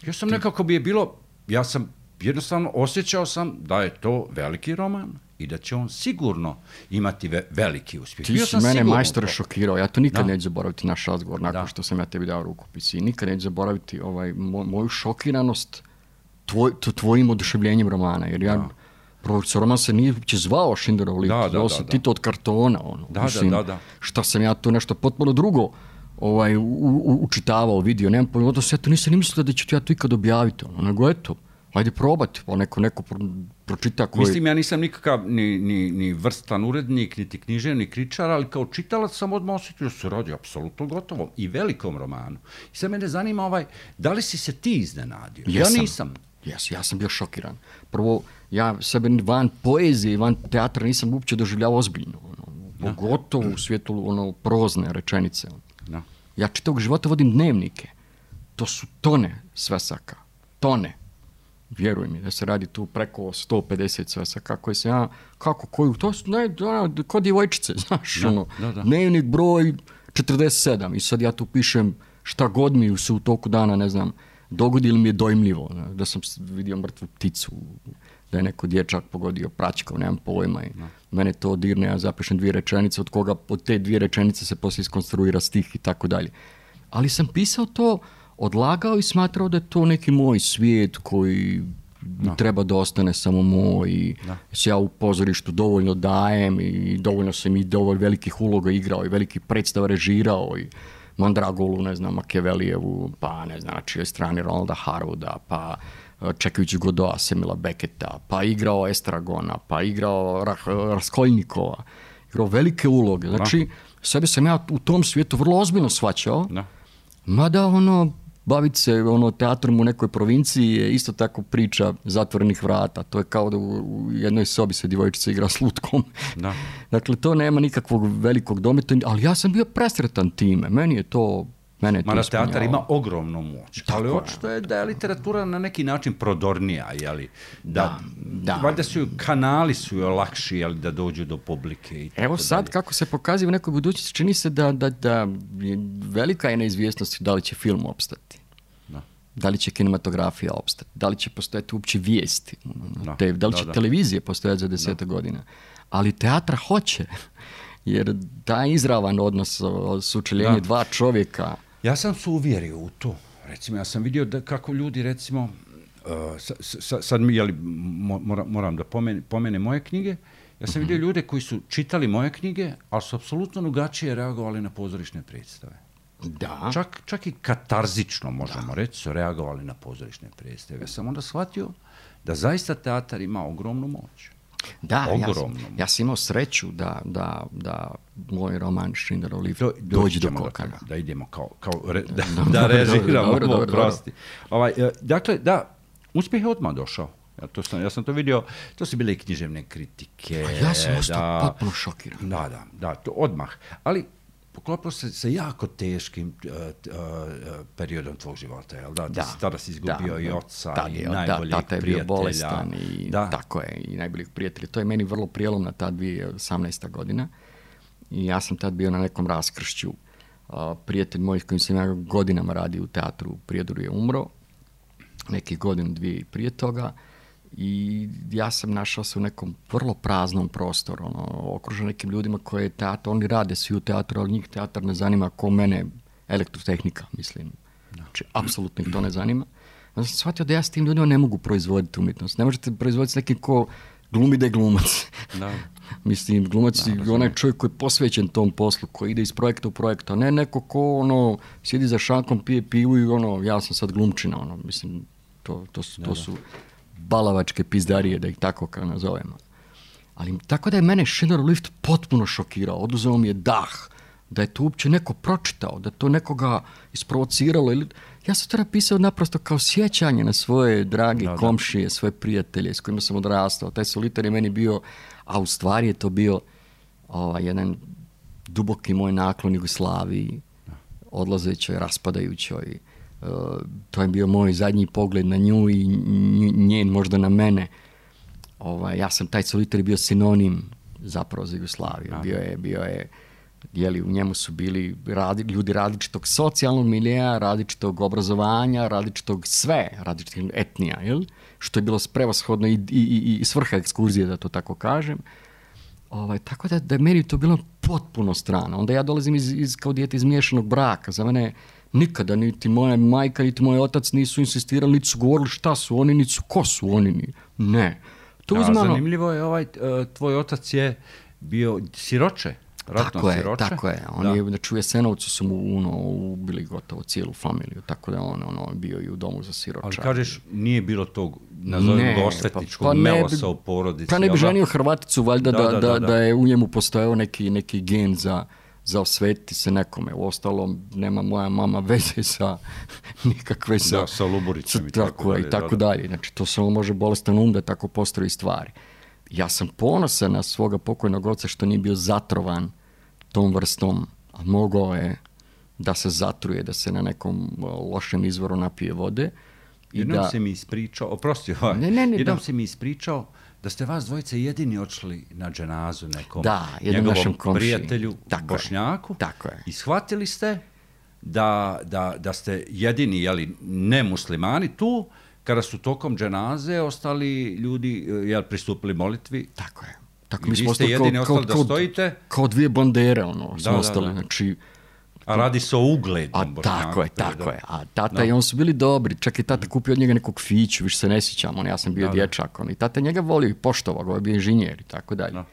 Speaker 1: Ja sam ti... nekako bi je bilo... Ja sam jednostavno osjećao sam da je to veliki roman i da će on sigurno imati ve- veliki uspjeh.
Speaker 2: Ti Bio si mene majstor šokirao, ja to nikad da. neću zaboraviti naš razgovor nakon da. što sam ja tebi dao rukopis i nikad neću zaboraviti ovaj, moj, moju šokiranost tvoj, tvojim oduševljenjem romana, jer ja, profesor roman se nije uopće zvao Schindlerov lift,
Speaker 1: da,
Speaker 2: zvao
Speaker 1: da,
Speaker 2: se
Speaker 1: da,
Speaker 2: Tito od kartona, ono,
Speaker 1: da,
Speaker 2: mislim,
Speaker 1: da, da, da.
Speaker 2: šta sam ja tu nešto potpuno drugo ovaj, u, u, učitavao, vidio, nemam pojma, da se ja to nisam ni mislio da ću ja to ikad objaviti, ono, nego eto, ajde probati, pa neko, neko pro, pročita koji...
Speaker 1: Mislim, ja nisam nikakav ni, ni, ni vrstan urednik, niti književni kritičar, ali kao čitalac sam odmah osjetio da se radi apsolutno gotovom i velikom romanu. I sad mene zanima ovaj, da li si se ti iznenadio?
Speaker 2: Jesam.
Speaker 1: Ja nisam.
Speaker 2: Jes, ja sam bio šokiran. Prvo, ja sebe van poezije, van teatra nisam uopće doživljavao ozbiljno. Ono, pogotovo u svijetu ono, prozne rečenice.
Speaker 1: Da.
Speaker 2: Ja čitavog života vodim dnevnike. To su tone svesaka. Tone. Vjeruj mi da se radi tu preko sto pedeset svesaka koje se ja, kako, koju, to su, ne, da, kod djevojčice, znaš, da, ono,
Speaker 1: da, da.
Speaker 2: dnevnik broj četrdeset sedam i sad ja tu pišem šta god mi se u toku dana, ne znam, dogodi li mi je dojmljivo, ne, da sam vidio mrtvu pticu, da je neko dječak pogodio praćkom, nemam pojma i da. Mene to dirne, ja zapišem dvije rečenice, od koga od te dvije rečenice se poslije iskonstruira stih i tako dalje. Ali sam pisao to, odlagao i smatrao da je to neki moj svijet koji no. treba da ostane samo moj i no. se ja u pozorištu dovoljno dajem i dovoljno sam i dovoljno velikih uloga igrao i velikih predstava režirao i Mandragolu, ne znam, Machiavellijevu, pa ne znam, na čijoj strani Ronalda Harwooda, pa čekajući Godoa, Semila Becketa, pa igrao Estragona, pa igrao Raskolnikova, igrao velike uloge. Znači, no. sebe sam ja u tom svijetu vrlo ozbiljno shvaćao, no. mada ono, baviti se ono, teatrom u nekoj provinciji je isto tako priča zatvorenih vrata. To je kao da u jednoj sobi se djevojčica igra s lutkom.
Speaker 1: Da.
Speaker 2: Dakle, to nema nikakvog velikog dometa, ali ja sam bio presretan time. Meni je to... Mene je to
Speaker 1: Mada teatar ima ogromnu moć, tako ali očito je da je literatura na neki način prodornija, jeli? Da, da, da. Valjda su kanali su joj lakši, jeli, da dođu do publike. I
Speaker 2: Evo sad, dalje. Kako se pokazuje u nekoj budućnosti, čini se da, da, da velika je neizvjesnost da li će film opstati. Da. Da li će kinematografija opstati, da li će postojati uopće vijesti, da, te, da li će da, da. televizije postojati za deseta godina. Ali teatra hoće, jer taj izravan odnos, sučeljenje dva čovjeka.
Speaker 1: Ja sam se uvjerio u to. recimo, ja sam vidio da kako ljudi, recimo, uh, sa, sa, sad mi, jeli, moram, moram da pomene, pomene moje knjige, ja sam mm-hmm. vidio ljude koji su čitali moje knjige, ali su apsolutno drugačije reagovali na pozorišne predstave.
Speaker 2: Da.
Speaker 1: Čak, čak i katarzično, možemo da. reći, su reagovali na pozorišne predstave. Ja sam onda shvatio da zaista teatar ima ogromnu moć.
Speaker 2: Da, ja sam, ja sam imao sreću da, da, da moj roman Schindlerov Lift do, dođe do Kokana.
Speaker 1: Da, da idemo kao, kao re, da, da režiramo, dobro, dobro, prosti. Ovaj, dakle, da, uspjeh je odmah došao. Ja, to sam, ja sam to vidio, to su bile i književne kritike.
Speaker 2: A ja sam ostao potpuno šokiran.
Speaker 1: Da, da, da, to odmah. Ali poklopilo se sa jako teškim uh, uh, periodom tvog života, jel da?
Speaker 2: Da.
Speaker 1: Tada si izgubio
Speaker 2: da,
Speaker 1: i oca
Speaker 2: da,
Speaker 1: i
Speaker 2: da,
Speaker 1: najboljeg
Speaker 2: da, tata je
Speaker 1: prijatelja.
Speaker 2: bio bolestan i
Speaker 1: da.
Speaker 2: tako je, i najboljeg prijatelja. To je meni vrlo prijelomna ta dvije tisuće osamnaesta godina i ja sam tad bio na nekom raskršću. Uh, prijatelj moj s kojim sam ja godinama radio u teatru u Prijedoru je umro, nekih godinu, dvije i prije toga. I ja sam našao se u nekom vrlo praznom prostoru, ono, okružen nekim ljudima koje je teatr, oni rade svi u teatru, ali njih teatar ne zanima ko mene, elektrotehnika, mislim. Znači, apsolutno ih to ne zanima. Onda sam shvatio da ja s tim ljudima ne mogu proizvoditi umjetnost. Ne možete proizvoditi s nekim ko glumi da je glumac. Da. Mislim, glumac je onaj čovjek koji je posvećen tom poslu, koji ide iz projekta u projekta, a ne neko ko ono, sjedi za šankom, pije pivu i ono, ja sam sad glumčina, ono, mislim, to, to, su, to su balavačke pizdarije, da ih tako kao nazovemo. Ali tako da je mene Schindlerov Lift potpuno šokirao, oduzeo mi je dah, da je to uopće neko pročitao, da to nekoga isprovociralo. Ili... Ja sam to napisao naprosto kao sjećanje na svoje drage da, komšije, svoje prijatelje s kojima sam odrastao. Taj Solitar je meni bio, a u stvari je to bio ovaj, jedan duboki moj naklon Jugoslaviji, odlazećoj, raspadajućoj. Uh, to je bio moj zadnji pogled na nju i njen možda na mene. Ovaj, ja sam, taj Solitar je bio sinonim zapravo za Jugoslaviju. Bio je, bio je, jeli, u njemu su bili radi, ljudi različitog socijalnog milija, različitog obrazovanja, različitog sve, različitih etnija, jel? Što je bilo prevashodno i, i, i, i svrha ekskurzije, da to tako kažem. Ovaj, tako da, da je meni to bilo potpuno strano. Onda ja dolazim iz, iz, kao dijete iz miješanog braka. Za mene nikada niti moja majka, niti moj otac nisu insistirali, niti su govorili šta su oni, niti su ko su oni. Ni. Ne. To
Speaker 1: uzmano... Zanimljivo je, ovaj, tvoj otac je bio siroče.
Speaker 2: Tako je,
Speaker 1: siroče.
Speaker 2: tako je. On da. je, znači u Jesenovcu su mu ono, ubili gotovo cijelu familiju, tako da on ono, bio i u domu za siroča.
Speaker 1: Ali kažeš, nije bilo tog, nazovimo osvetničkog pa, pa melosa u porodici.
Speaker 2: Pa ne bi ženio Hrvaticu, valjda da, da, da, da, da, da je u njemu postojao neki, neki gen za, za osvetiti se nekome. Uostalom, nema moja mama veze sa nikakve sa...
Speaker 1: Da, sa Luburicom i
Speaker 2: tako dalje. I tako dalje. Znači, to samo može bolestan um da tako postroji stvari. Ja sam ponosan na svoga pokojnog oca što nije bio zatrovan tom vrstom, a mogao je da se zatruje, da se na nekom lošem izvoru napije vode.
Speaker 1: I jednom da... se mi ispričao, oprosti, ovaj, ne, ne, ne, jednom da. se mi ispričao da ste vas dvojice jedini odšli na dženazu nekom
Speaker 2: da,
Speaker 1: njegovom prijatelju
Speaker 2: tako
Speaker 1: Bošnjaku.
Speaker 2: Je, tako je.
Speaker 1: I shvatili ste da, da, da ste jedini, jeli, ne muslimani tu, kada su tokom dženaze ostali ljudi, jel, pristupili molitvi.
Speaker 2: Tako je. Tako
Speaker 1: I mi smo ste jedini kao, ostali kao, da stojite.
Speaker 2: Kao dvije bandere, ono, smo da, ostali, da, da. Znači...
Speaker 1: A radi se o uglednom
Speaker 2: Bošnjaku. Tako je, tako da. je. A tata da. i on su bili dobri. Čak i tata kupio od njega nekog fiću, više se ne sjećam, on, ja sam bio da, dječak. On, i tata njega volio i poštovao, on je bio inženjer i tako dalje. Da.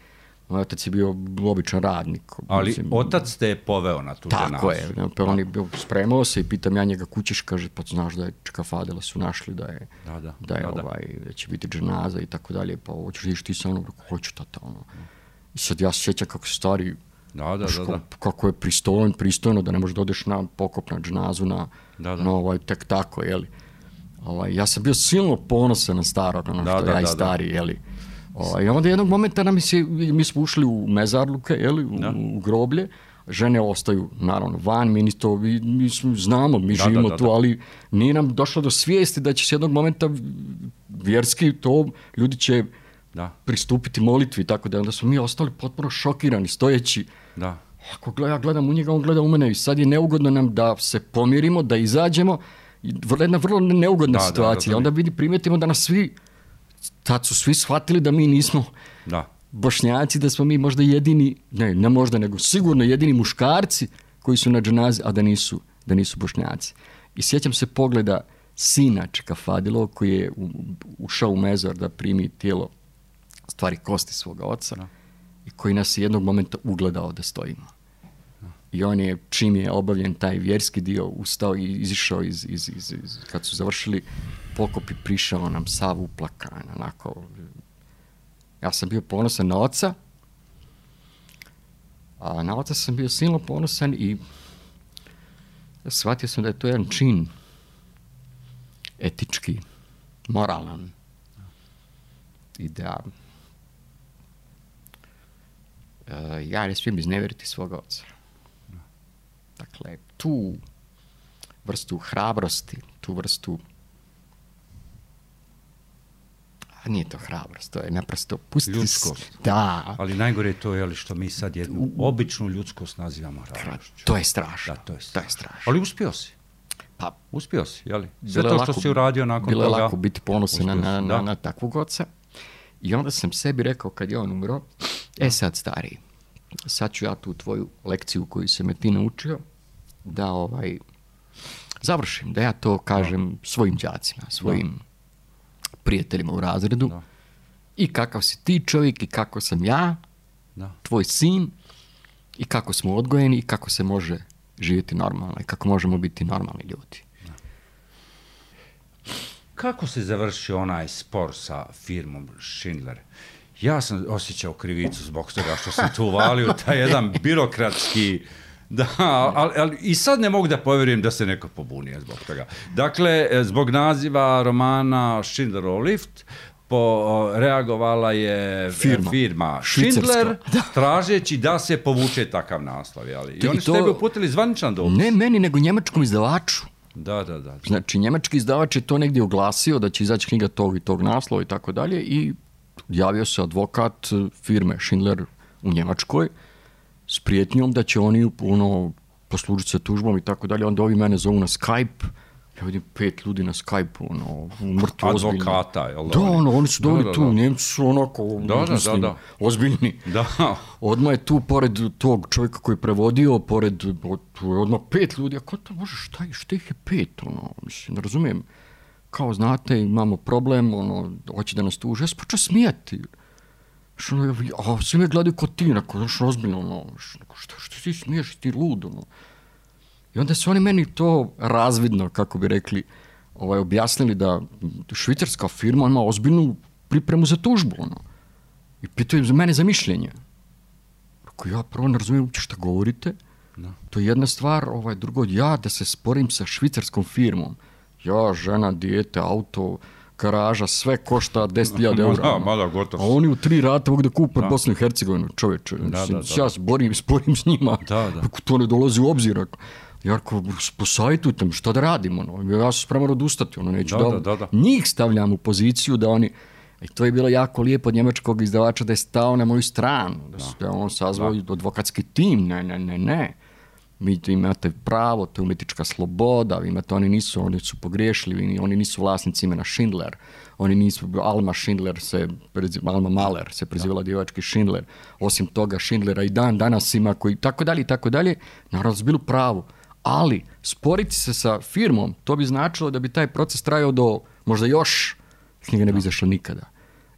Speaker 2: Moj otac je bio običan radnik.
Speaker 1: Ali
Speaker 2: mislim,
Speaker 1: otac te je poveo na tu dženazu.
Speaker 2: Tako je. Pa on je bio, spremao se i pitam ja njega kućeš, kaže, pa znaš da je Čekafadela su našli da je,
Speaker 1: da, da,
Speaker 2: da, je
Speaker 1: da,
Speaker 2: ovaj, da će biti dženaza i tako dalje. Pa hoćeš ići ti sa mnom? Hoću tata. Ono. I sad ja se sjećam kako se stari,
Speaker 1: da, da, da, da.
Speaker 2: kako je pristojno, pristojno da ne možeš da odeš na pokop, na dženazu, na,
Speaker 1: da, da.
Speaker 2: na ovaj, tek tako, jeli. Ovaj, ja sam bio silno ponosan na starog, ono
Speaker 1: da,
Speaker 2: što
Speaker 1: da,
Speaker 2: ja i stari, da. jeli. I onda jednog momenta nam se, mi smo ušli u mezarluke, jeli, u, u groblje, žene ostaju naravno van, mi, to, mi, mi znamo, mi da, živimo da, da, tu, ali nije nam došlo do svijesti da će se jednog momenta vjerski to, ljudi će da. pristupiti molitvi, tako da onda smo mi ostali potpuno šokirani, stojeći.
Speaker 1: Da.
Speaker 2: Ako gleda, ja gledam u njega, on gleda u mene i sad je neugodno nam da se pomirimo, da izađemo, jedna vrlo neugodna da, situacija, da, da, onda vidi, primijetimo da nas svi tad su svi shvatili da mi nismo
Speaker 1: da.
Speaker 2: Bošnjaci, da smo mi možda jedini, ne, ne možda, nego sigurno jedini muškarci koji su na dženazi, a da nisu, da nisu Bošnjaci. I sjećam se pogleda sina Čekafadilova koji je ušao u mezar da primi tijelo, stvari kosti svoga oca, no. I koji nas je jednog momenta ugledao da stojimo. No. I on je, čim je obavljen taj vjerski dio, ustao i izišao iz, iz, iz, iz kad su završili pokop i prišao nam sav uplakan, onako. Ja sam bio ponosan na oca, a na oca sam bio silno ponosan i shvatio sam da je to jedan čin etički, moralan. I da uh, ja ne smijem iznevjeriti svoga oca. Dakle, tu vrstu hrabrosti, tu vrstu a nije to hrabrost, to je naprosto pustiti...
Speaker 1: Ljudskost.
Speaker 2: Da.
Speaker 1: Ali najgore je to, jeli, što mi sad jednu običnu ljudskost nazivamo hrabrošću.
Speaker 2: To je strašno.
Speaker 1: Da, to je strašno.
Speaker 2: To je strašno.
Speaker 1: Ali uspio si.
Speaker 2: Pa,
Speaker 1: uspio si, jeli? Sve to što si uradio nakon
Speaker 2: bilo
Speaker 1: toga...
Speaker 2: Bilo je lako biti ponosan na, na, na, na takvog oca. I onda sam sebi rekao, kad je on umro, e sad stariji, sad ću ja tu tvoju lekciju koju se me ti naučio, da ovaj, završim, da ja to kažem da. svojim đacima, svojim da. prijateljima u razredu. Da. I kakav si ti čovjek i kako sam ja, da. tvoj sin, i kako smo odgojeni i kako se može živjeti normalno i kako možemo biti normalni ljudi. Da.
Speaker 1: Kako se završio onaj spor sa firmom Schindler? Ja sam osjećao krivicu zbog toga što sam tu uvalio taj jedan birokratski... Da, ali, ali i sad ne mogu da povjerujem da se neko pobunio zbog toga. Dakle, zbog naziva romana Schindlerov lift po, reagovala je firma, firma Schindler tražeći da se povuče takav naslov. Jeli? I oni su to, tebi uputili zvaničan dopis.
Speaker 2: Ne meni, nego njemačkom izdavaču.
Speaker 1: Da, da, da.
Speaker 2: Znači, njemački izdavač je to negdje oglasio da će izaći knjiga tog i tog naslova i tako dalje i javio se advokat firme Schindler u Njemačkoj s prijetnjom da će oni ono, poslužiti se tužbom i tako dalje. Onda ovi mene zovu na Skype. Ja vidim pet ljudi na Skype-u, ono, mrtvo ozbiljni.
Speaker 1: Advokata, jel da?
Speaker 2: Da, ono, oni su doveli tu, Njemci su onako,
Speaker 1: da, da,
Speaker 2: mislim,
Speaker 1: da, da.
Speaker 2: ozbiljni.
Speaker 1: Da.
Speaker 2: Odmah je tu, pored tog čovjeka koji je prevodio, pored, tu je odmah pet ljudi. A ko to može, šta, šta ih je pet, ono, mislim, ne razumijem. Kao, znate, imamo problem, ono, hoće da nas tuže. Ja se počeo smijati. Što, a svi me gledaju kod ti, neko, znaš, ozbiljno, ono, što, što ti smiješ, ti lud, ono. I onda su oni meni to razvidno, kako bi rekli, ovaj, objasnili da švicarska firma ima ozbiljnu pripremu za tužbu, ono. I pitaju za mene za mišljenje. Ako ja prvo ne razumijem uopće šta govorite, no. To je jedna stvar, ovaj, drugo, ja da se sporim sa švicarskom firmom, ja, žena, dijete, auto, garaža, sve košta deset hiljada eura.
Speaker 1: Da, mada, gotovo.
Speaker 2: A oni u tri rata mogu da kupe Bosnu i Hercegovinu, čovječe.
Speaker 1: Da, da, da,
Speaker 2: ja se borim, sporim s njima.
Speaker 1: Da, da.
Speaker 2: To ne dolazi u obzir. Jarko, posajtujte mi, šta da radimo? No? Ja sam spreman odustati. Ono, neću
Speaker 1: da,
Speaker 2: da,
Speaker 1: da, da, da.
Speaker 2: Njih stavljam u poziciju da oni... I to je bilo jako lijepo od njemačkog izdavača da je stao na moju stranu. Da, da. da on sazvao da. advokatski tim. Ne, ne, ne, ne. Vi imate pravo, to je umjetnička sloboda, vi imate, oni nisu, oni su pogriješili, oni nisu vlasnici imena Schindler, oni nisu, Alma Schindler se, Alma Mahler se prezivala djevački Schindler, osim toga Schindlera i dan danas ima koji, tako dalje i tako dalje, naravno su bili u pravu, ali sporiti se sa firmom, to bi značilo da bi taj proces trajao do možda još, knjiga ne bi izašla nikada.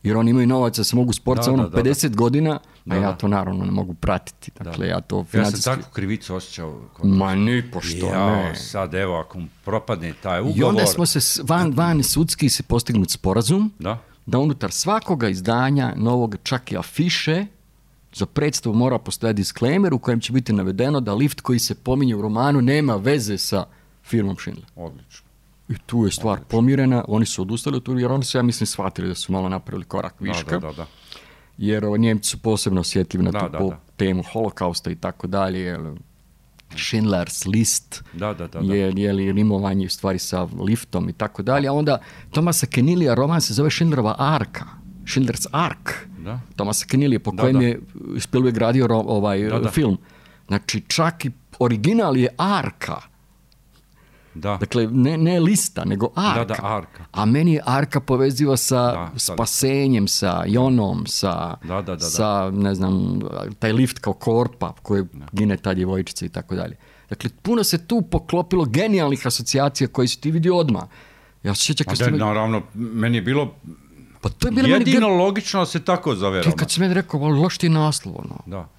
Speaker 2: Jer oni imaju novaca da se mogu sporiti sa ono pedeset da. godina, a ja to naravno ne mogu pratiti. Dakle, ja to financijski...
Speaker 1: Ja sam takvu krivicu osjećao.
Speaker 2: Ma ni pošto
Speaker 1: ja,
Speaker 2: ne.
Speaker 1: Sad evo, ako propadne taj ugovor...
Speaker 2: I onda smo se van, van sudski se postignuti sporazum
Speaker 1: da.
Speaker 2: da unutar svakoga izdanja novog, čak i afiše, za predstavu mora postojati disclaimer u kojem će biti navedeno da lift koji se pominje u romanu nema veze sa firmom Schindler.
Speaker 1: Odlično.
Speaker 2: I tu je stvar Odlično. pomirena, oni su odustali od toga jer oni su, ja mislim, shvatili da su malo napravili korak viška.
Speaker 1: Da, da, da.
Speaker 2: Jer o, Njemci su posebno osjetljivi na
Speaker 1: da,
Speaker 2: tu
Speaker 1: da,
Speaker 2: po,
Speaker 1: da.
Speaker 2: temu holokausta i tako dalje. Schindler's List
Speaker 1: da, da, da, da.
Speaker 2: je, je li rimovanje u stvari sa liftom i tako dalje. A onda Tomasa Kenilija roman se zove Schindlerova arka. Schindler's Ark.
Speaker 1: Da.
Speaker 2: Tomasa Kenilija po
Speaker 1: da,
Speaker 2: kojem
Speaker 1: da.
Speaker 2: je Spielberg radio ovaj
Speaker 1: da, da.
Speaker 2: film. Znači čak i original je arka.
Speaker 1: Da.
Speaker 2: Dakle, ne, ne lista, nego arka.
Speaker 1: Da, da, arka.
Speaker 2: A meni je arka poveziva sa
Speaker 1: da,
Speaker 2: spasenjem, sa jonom, sa,
Speaker 1: da, da, da, da.
Speaker 2: sa, ne znam, taj lift kao korpa koje gine ta djevojčica i tako dalje. Dakle, puno se tu poklopilo genijalnih asocijacija koje si ti vidio odmah. Ja se sjećam kad
Speaker 1: ste... Naravno, meni je bilo
Speaker 2: pa to je bilo
Speaker 1: jedino
Speaker 2: meni...
Speaker 1: logično da se tako zove
Speaker 2: roman. Ti kad si meni rekao, ali loš ti je naslov, ono.
Speaker 1: Da.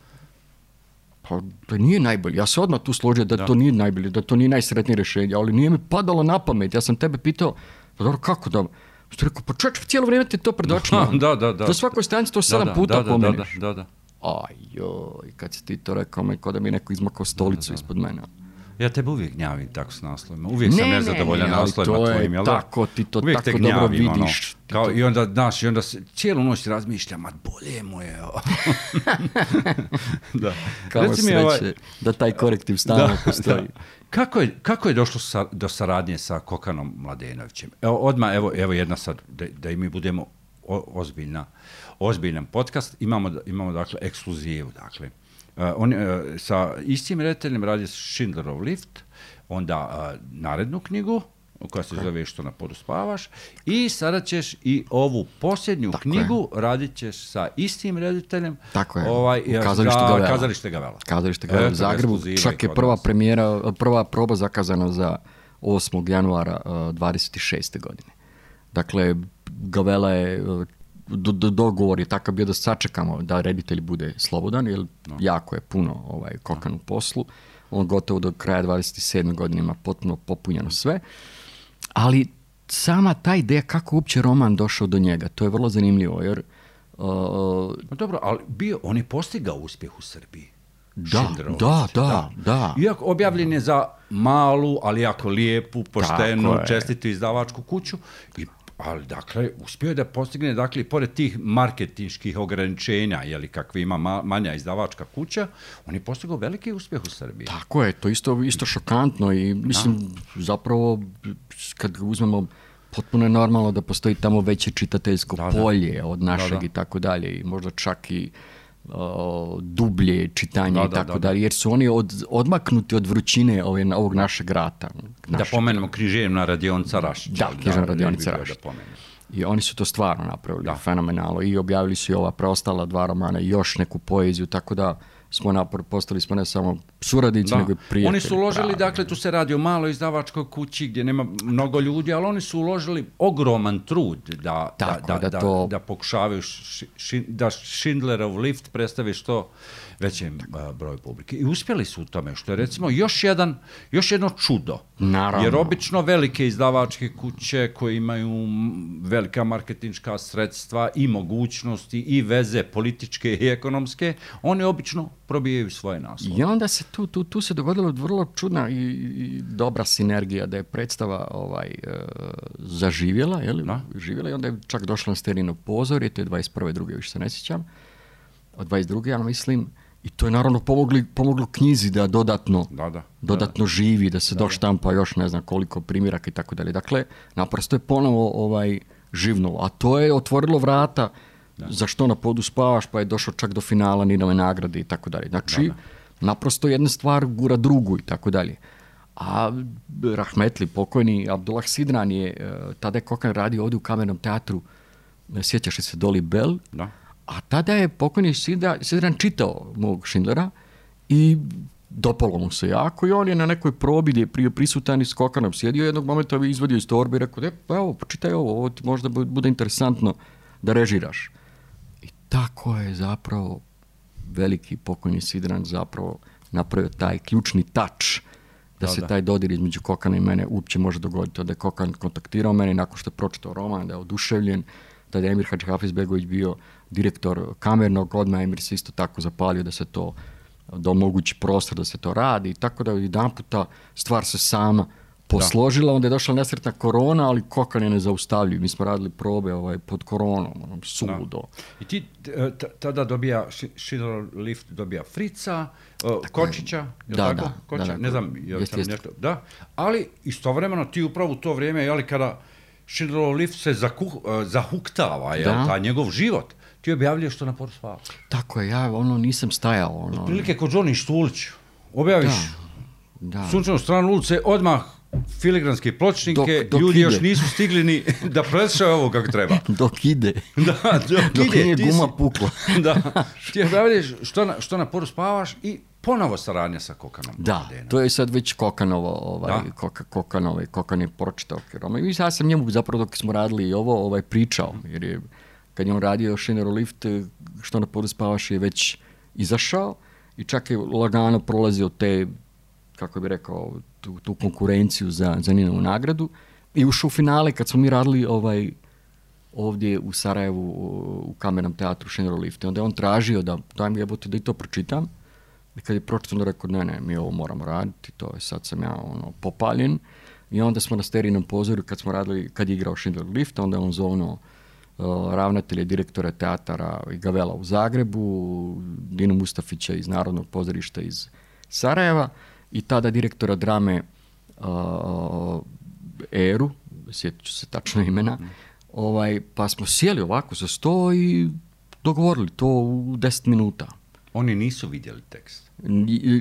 Speaker 2: Pa to nije najbolje. Ja se odmah tu složio da, da to nije najbolje, da to nije najsretnije rješenje, ali nije mi padalo na pamet. Ja sam tebe pitao, pa dobro, kako da... Što rekao, pa čovječ, cijelo vrijeme ti to pred očima.
Speaker 1: Da, da, da.
Speaker 2: Do svakoj stranici to sedam
Speaker 1: da, da,
Speaker 2: puta
Speaker 1: da,
Speaker 2: pomeniš.
Speaker 1: Da, da, da.
Speaker 2: Ajoj, kad si ti to rekao, me kao da mi je neko izmakao stolicu da, da. ispod mene.
Speaker 1: Ja tebe uvijek gnjavim tako s naslovima. Uvijek ne, sam nezadovoljan
Speaker 2: ne,
Speaker 1: naslovima tvojim, jel da?
Speaker 2: Tako, ti to
Speaker 1: uvijek
Speaker 2: tako dobro vidiš.
Speaker 1: Ono, kao, to... I onda, znaš, i onda se, cijelu noć razmišljam, ma bolje mu je.
Speaker 2: Da. Kao Reci sreće ovaj... da taj korektiv stalno da, postoji. Da.
Speaker 1: Kako je, kako je došlo sa, do saradnje sa Kokanom Mladenovićem? Evo, odmah, evo, evo jedna sad, da, da i mi budemo o, ozbiljna, ozbiljan podcast. Imamo, imamo dakle, ekskluzivu, dakle. Uh, on, uh, sa istim redateljem radi Schindlerov lift, onda uh, narednu knjigu, koja se zove Što na podu spavaš, i sada ćeš i ovu posljednju Tako knjigu je. radit ćeš sa istim rediteljem.
Speaker 2: Tako je,
Speaker 1: ovaj,
Speaker 2: u Kazalište Gavela.
Speaker 1: Kazalište Gavela.
Speaker 2: Kazalište Gavela u Zagrebu. Čak je prva premijera, prva proba zakazana za osmog januara uh, dvadeset šeste godine. Dakle, Gavela je... Do, do, dogovor je takav bio da sačekamo da reditelj bude slobodan, jer no. jako je puno ovaj, Kokan no. u poslu. On gotovo do kraja dvadeset sedme godine ima potpuno popunjeno sve. Ali sama ta ideja kako uopće roman došao do njega, to je vrlo zanimljivo, jer... Uh,
Speaker 1: no dobro, ali bio, on je postigao uspjeh u Srbiji.
Speaker 2: Da, da, da, da, da.
Speaker 1: Iako objavljen je za malu, ali jako lijepu, poštenu, čestitu izdavačku kuću i ali, dakle, uspio je da postigne, dakle, i pored tih marketinških ograničenja, jeli, kakvi ima ma, manja izdavačka kuća, on je postigao veliki uspjeh u Srbiji.
Speaker 2: Tako je, to isto, isto šokantno i, mislim, da. zapravo, kad uzmemo, potpuno je normalno da postoji tamo veće čitateljsko da, polje da. od našeg da, da. i tako dalje, i možda čak i Uh, dublje čitanje da, i tako da, da, dalje, jer su oni od, odmaknuti od vrućine ove, ovog našeg rata.
Speaker 1: Naš... Da pomenemo Književna radionica Rašić.
Speaker 2: Da, Književna radionica Rašić. I oni su to stvarno napravili, da. fenomenalno. I objavili su i ova preostala dva romana i još neku poeziju, tako da smo napor, postali smo ne samo suradnici, da. nego i prijatelji.
Speaker 1: Oni su uložili, pravi. dakle, tu se radi o maloj izdavačkoj kući gdje nema mnogo ljudi, ali oni su uložili ogroman trud da,
Speaker 2: tako,
Speaker 1: da, da,
Speaker 2: da, to...
Speaker 1: da pokušavaju ši, ši, da Schindlerov lift predstavi što većem uh, broju publike. I uspjeli su u tome, što je recimo još, jedan, još jedno čudo.
Speaker 2: Naravno.
Speaker 1: Jer obično velike izdavačke kuće koje imaju velika marketinška sredstva i mogućnosti i veze političke i ekonomske, oni obično probijaju svoje naslove.
Speaker 2: I onda se tu, tu, tu se dogodilo vrlo čudna i, i dobra sinergija da je predstava ovaj, e, zaživjela, je li? Živjela i onda je čak došla na Sterino pozorje, to je dvadeset prve druge više se ne sjećam, od dvadeset druge ja mislim, i to je naravno pomogli, pomoglo knjizi da dodatno,
Speaker 1: da, da,
Speaker 2: dodatno
Speaker 1: da,
Speaker 2: živi, da se
Speaker 1: da,
Speaker 2: doštampa još ne znam koliko primjeraka i tako dalje. Dakle, naprosto je ponovo ovaj, živnulo, a to je otvorilo vrata da. za Što na podu spavaš, pa je došao čak do finala Ninove nagrade i tako dalje. Znači, da, da. naprosto jedna stvar gura drugu i tako dalje. A rahmetli, pokojni Abdullah Sidran je, tada je Kokan radio ovdje u Kamernom teatru, sjećaš se Dolly Bell,
Speaker 1: da.
Speaker 2: A tada je pokojni Sidran čitao mog Schindlera i dopalo mu se jako i on je na nekoj probi gdje je prije prisutan i s Kokanom sjedio, jednog momenta bi izvadio iz torbe i rekao, e, pa evo, počitaj ovo, ovo ti možda bude interesantno da režiraš. I tako je zapravo veliki pokojni Sidran zapravo napravio taj ključni touch da, da se da. taj dodir između Kokana i mene uopće može dogoditi. Da je Kokan kontaktirao mene nakon što je pročitao roman, da je oduševljen, da je Emir Hadžihafizbegović bio direktor kamernog, odmah Emir se isto tako zapalio da se to, da omogući prostor da se to radi i tako da jedan puta stvar se sama posložila, da. onda je došla nesretna korona, ali Kokan je nezaustavljiv. Mi smo radili probe ovaj, pod koronom, ono, suludo.
Speaker 1: I ti t- tada dobija, Schindlerov lift dobija Frica, uh, Kočića, je
Speaker 2: da,
Speaker 1: tako?
Speaker 2: Da,
Speaker 1: Kočića,
Speaker 2: da,
Speaker 1: ne znam, je
Speaker 2: jest,
Speaker 1: sam nešto, da, ali istovremeno ti upravo u to vrijeme, jeli, kada Schindlerov lift se zakuh, uh, zahuktava, jel, taj njegov život, ti objavljuješ Što na podu spavaš.
Speaker 2: Tako je, ja ono nisam stajao. Ono...
Speaker 1: Otprilike kod Johnny Štulić, objaviš
Speaker 2: da, da.
Speaker 1: Sunčanu stranu ulice, odmah filigranske pločnike, dok, dok ljudi ide. Još nisu stigli ni da preslušaju ovo kako treba.
Speaker 2: Dok ide.
Speaker 1: Da, dok,
Speaker 2: dok
Speaker 1: ide.
Speaker 2: nije
Speaker 1: ti
Speaker 2: guma
Speaker 1: si,
Speaker 2: pukla.
Speaker 1: Da, ti objavljuješ što na, što na podu spavaš i ponovo saradnja sa Kokanom.
Speaker 2: Da,
Speaker 1: Bokadenom.
Speaker 2: to je sad već Kokanovo, ovaj, Koka, Kokanov, Kokan je pročitao roman. I ja sam njemu zapravo dok smo radili i ovo ovaj, pričao, jer je, kad je on radio Schindler Lift, što na podu spavaš je već izašao i čak je lagano prolazio te, kako bi rekao, tu, tu konkurenciju za, za Ninovu nagradu i ušao u finale kad smo mi radili ovaj, ovdje u Sarajevu u Kamernom teatru Schindler Lift. I onda je on tražio da, daj mi jebote da i to pročitam. I kad je pročitao, onda rekao, ne, ne, mi ovo moramo raditi, to je, sad sam ja ono, popaljen. I onda smo na Sterijnom pozorju, kad smo radili, kad je igrao Schindler Lift, onda je on zovno uh, ravnatelje, direktora teatara i Gavela u Zagrebu, Dinu Mustafića iz Narodnog pozorišta iz Sarajeva i tada direktora drame uh, Eru, sjetit ću se tačno imena, ovaj, pa smo sjeli ovako za sto i dogovorili to u deset minuta.
Speaker 1: Oni nisu vidjeli tekst.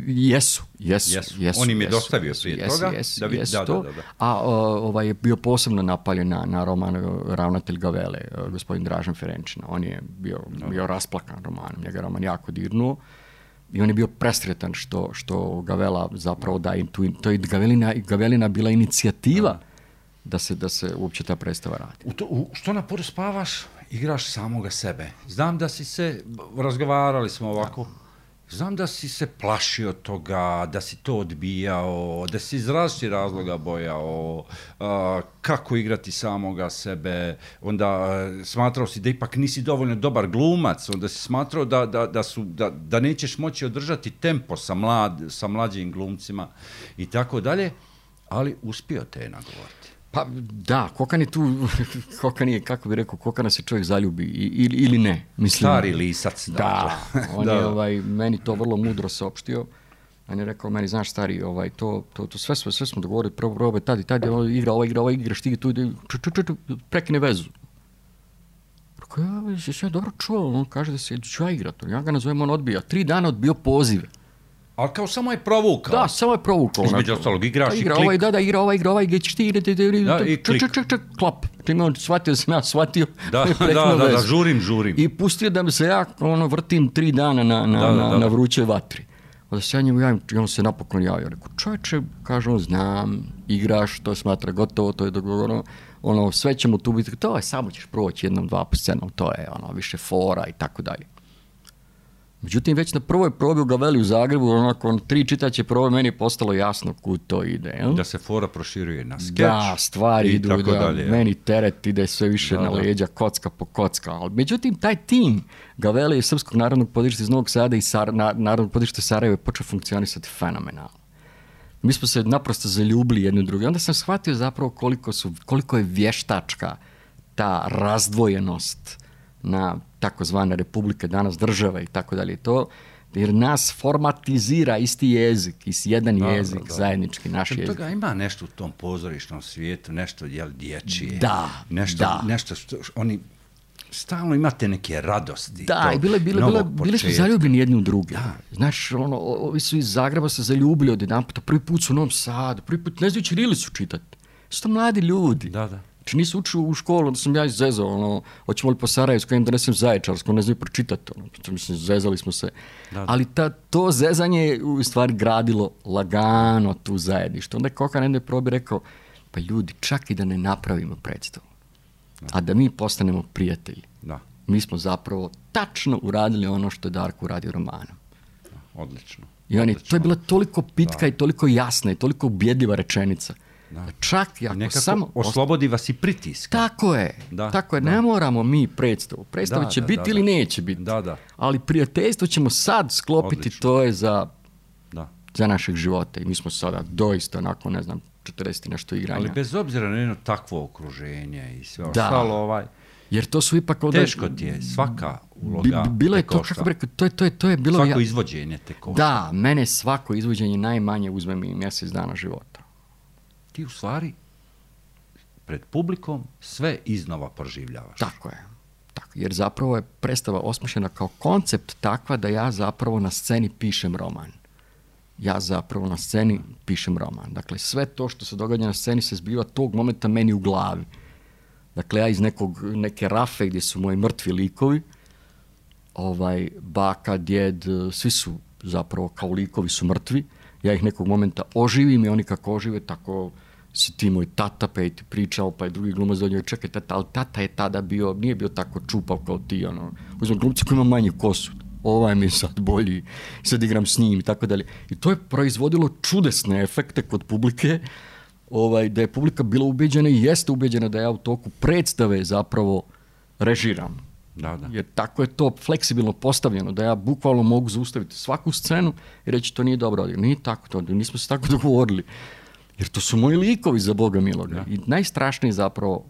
Speaker 2: Jesu, jesu,
Speaker 1: jesu.
Speaker 2: jesu.
Speaker 1: On im je
Speaker 2: jesu,
Speaker 1: dostavio
Speaker 2: jesu,
Speaker 1: prije
Speaker 2: jesu,
Speaker 1: toga.
Speaker 2: Jesu,
Speaker 1: da vid,
Speaker 2: jesu
Speaker 1: da,
Speaker 2: to.
Speaker 1: da, da, da.
Speaker 2: A ovaj je bio posebno napaljen na, na roman ravnatelj Gavele, gospodin Dražen Ferenčina. On je bio, bio rasplakan romanom, njega roman jako dirnuo. I on je bio presretan što, što Gavela zapravo da im tu, to je Gavelina, Gavelina bila inicijativa da. Da se, da se uopće ta predstava radi.
Speaker 1: U to, u, što na podu spavaš, igraš samoga sebe. Znam da si se, razgovarali smo ovako, znam da si se plašio toga, da si to odbijao, da si iz različitih razloga bojao, uh, kako igrati samoga sebe, onda uh, smatrao si da ipak nisi dovoljno dobar glumac, onda si smatrao da, da, da, su, da, da nećeš moći održati tempo sa, mlad, sa mlađim glumcima i tako dalje, ali uspio te je nagovoriti.
Speaker 2: Pa da, Kokan je tu, Kokan je, kako bi rekao, Kokana se čovjek zaljubi ili, ili ne. Mislim,
Speaker 1: stari lisac.
Speaker 2: Da, on
Speaker 1: da.
Speaker 2: je ovaj, meni to vrlo mudro saopštio. On je rekao, meni, znaš stari, ovaj, to, to, to sve, sve, sve smo dogovorili, prvo probe, tad i tad je ovaj igra, ovaj igra, ovaj igraš, ti tu, ču, ču, ču, ču, prekine vezu. Rekao, ja, jesi ja dobro čuo, on kaže da se ću ja igrati. Ja ga nazovem, on odbija. Tri dana odbio pozive.
Speaker 1: Ali kao samo je provukao.
Speaker 2: Da, samo je provukao.
Speaker 1: Između ostalog, igraš i
Speaker 2: igra,
Speaker 1: klik.
Speaker 2: Ovaj, da, da, igra ovaj, igra ovaj, gdje ćeš ti igrati.
Speaker 1: Da, i klik.
Speaker 2: Čak, čak, čak, klap. Čime on shvatio, sam ja shvatio.
Speaker 1: Da, da, da, da, žurim, žurim.
Speaker 2: I pustio da mi se ja ono, vrtim tri dana na, na,
Speaker 1: da, da,
Speaker 2: na,
Speaker 1: da.
Speaker 2: na vrućoj vatri. Onda se ja njemu javim, i on se napokon javio. Rekao, čovječe, kaže on, znam, igraš, to smatra gotovo, to je dogovorno. Ono, sve ćemo tu biti, to je, samo ćeš proći jednom, dva po scenom, to je ono, više fora i tako dalje. Međutim, već na prvoj probi u Gaveli u Zagrebu, onako, tri čitaće probe, meni je postalo jasno kud to ide. Jel?
Speaker 1: Da se fora proširuje na skeč.
Speaker 2: Da, stvari
Speaker 1: i
Speaker 2: idu,
Speaker 1: tako
Speaker 2: da,
Speaker 1: dalje,
Speaker 2: meni teret ide sve više
Speaker 1: da,
Speaker 2: na
Speaker 1: da.
Speaker 2: leđa, kocka po kocka. Ali, međutim, taj tim Gavele i Srpskog narodnog pozorišta iz Novog Sada i Sar, na, Narodnog pozorišta Sarajeva je počeo funkcionisati fenomenalno. Mi smo se naprosto zaljubili jedni u drugi. Onda sam shvatio zapravo koliko, su, koliko je vještačka ta razdvojenost na takozvane republike, danas države i tako dalje. To, jer nas formatizira isti jezik, isti jedan da, jezik, da, da. zajednički naš
Speaker 1: Čem
Speaker 2: jezik.
Speaker 1: Toga ima nešto u tom pozorišnom svijetu, nešto jel, dječije.
Speaker 2: Da,
Speaker 1: nešto,
Speaker 2: da.
Speaker 1: Nešto što oni stalno imate neke radosti.
Speaker 2: Da, i bile, bile, bile, bili smo zaljubljeni jedni u druge.
Speaker 1: Da.
Speaker 2: Znaš, ono, ovi su iz Zagreba se zaljubili od jedan puta, prvi put su u Novom Sadu, prvi put ne znaju ćirilicu čitati. Su to mladi ljudi.
Speaker 1: Da, da.
Speaker 2: Znači nisu učili u školu, onda sam ja izezao, ono, hoćemo li po Sarajevsku, im donesem Zaječarsku, ne znaju pročitati, ono, mislim, zezali smo se. Da, da. Ali ta, to zezanje je u stvari gradilo lagano tu zajedništvo. Onda je Kokan na jednoj probi rekao, pa ljudi, čak i da ne napravimo predstavu, da. A da mi postanemo prijatelji,
Speaker 1: da.
Speaker 2: Mi smo zapravo tačno uradili ono što je Darko uradio romanom.
Speaker 1: Da, odlično.
Speaker 2: I oni,
Speaker 1: odlično.
Speaker 2: to je bila toliko pitka
Speaker 1: da.
Speaker 2: I toliko jasna i toliko ubjedljiva rečenica. Da. Čak i ako samo
Speaker 1: oslobodi vas i pritiska.
Speaker 2: Tako je,
Speaker 1: da,
Speaker 2: tako je,
Speaker 1: da.
Speaker 2: Ne moramo mi predstavu. Predstava
Speaker 1: da,
Speaker 2: će
Speaker 1: da,
Speaker 2: biti
Speaker 1: da,
Speaker 2: ili
Speaker 1: da.
Speaker 2: neće biti.
Speaker 1: Da, da.
Speaker 2: Ali prijateljstvo ćemo sad sklopiti,
Speaker 1: odlično.
Speaker 2: To je za,
Speaker 1: da.
Speaker 2: za našeg života. I mi smo sada doista, onako, ne znam, četrdeset nešto igranja.
Speaker 1: Ali bez obzira na jedno takvo okruženje i sve ostalo, ovaj...
Speaker 2: Jer to su ipak... Ovdje,
Speaker 1: teško ti je, svaka uloga
Speaker 2: bilo je to,
Speaker 1: košta.
Speaker 2: kako bi rekao, to je, to je, to je bilo...
Speaker 1: Svako
Speaker 2: ja,
Speaker 1: izvođenje te košta.
Speaker 2: Da, mene svako izvođenje najmanje uzme mi mjesec dana života.
Speaker 1: Ti u stvari pred publikom sve iznova proživljavaš.
Speaker 2: Tako je. Tako, jer zapravo je predstava osmišljena kao koncept takva da ja zapravo na sceni pišem roman. Ja zapravo na sceni pišem roman. Dakle, sve to što se događa na sceni se zbiva tog momenta meni u glavi. Dakle, ja iz nekog, neke rafe gdje su moji mrtvi likovi, ovaj, baka, djed, svi su zapravo kao likovi su mrtvi, ja ih nekog momenta oživim i oni kako ožive, tako si ti moj tata, pa je ti pričao, pa je drugi glumac do njega, čekaj tata, ali tata je tada bio, nije bio tako čupav kao ti, ono, uzmem glumci koji ima manju kosu, ovaj mi je sad bolji, sad igram s njim i tako dalje. I to je proizvodilo čudesne efekte kod publike, ovaj, da je publika bila ubeđena i jeste ubeđena da ja u toku predstave zapravo režiram.
Speaker 1: Da, da.
Speaker 2: Jer tako je to fleksibilno postavljeno, da ja bukvalno mogu zaustaviti svaku scenu i reći to nije dobro, nije tako to, nismo se tako dogovorili. Jer to su moji likovi, za Boga miloga. Da. I najstrašniji zapravo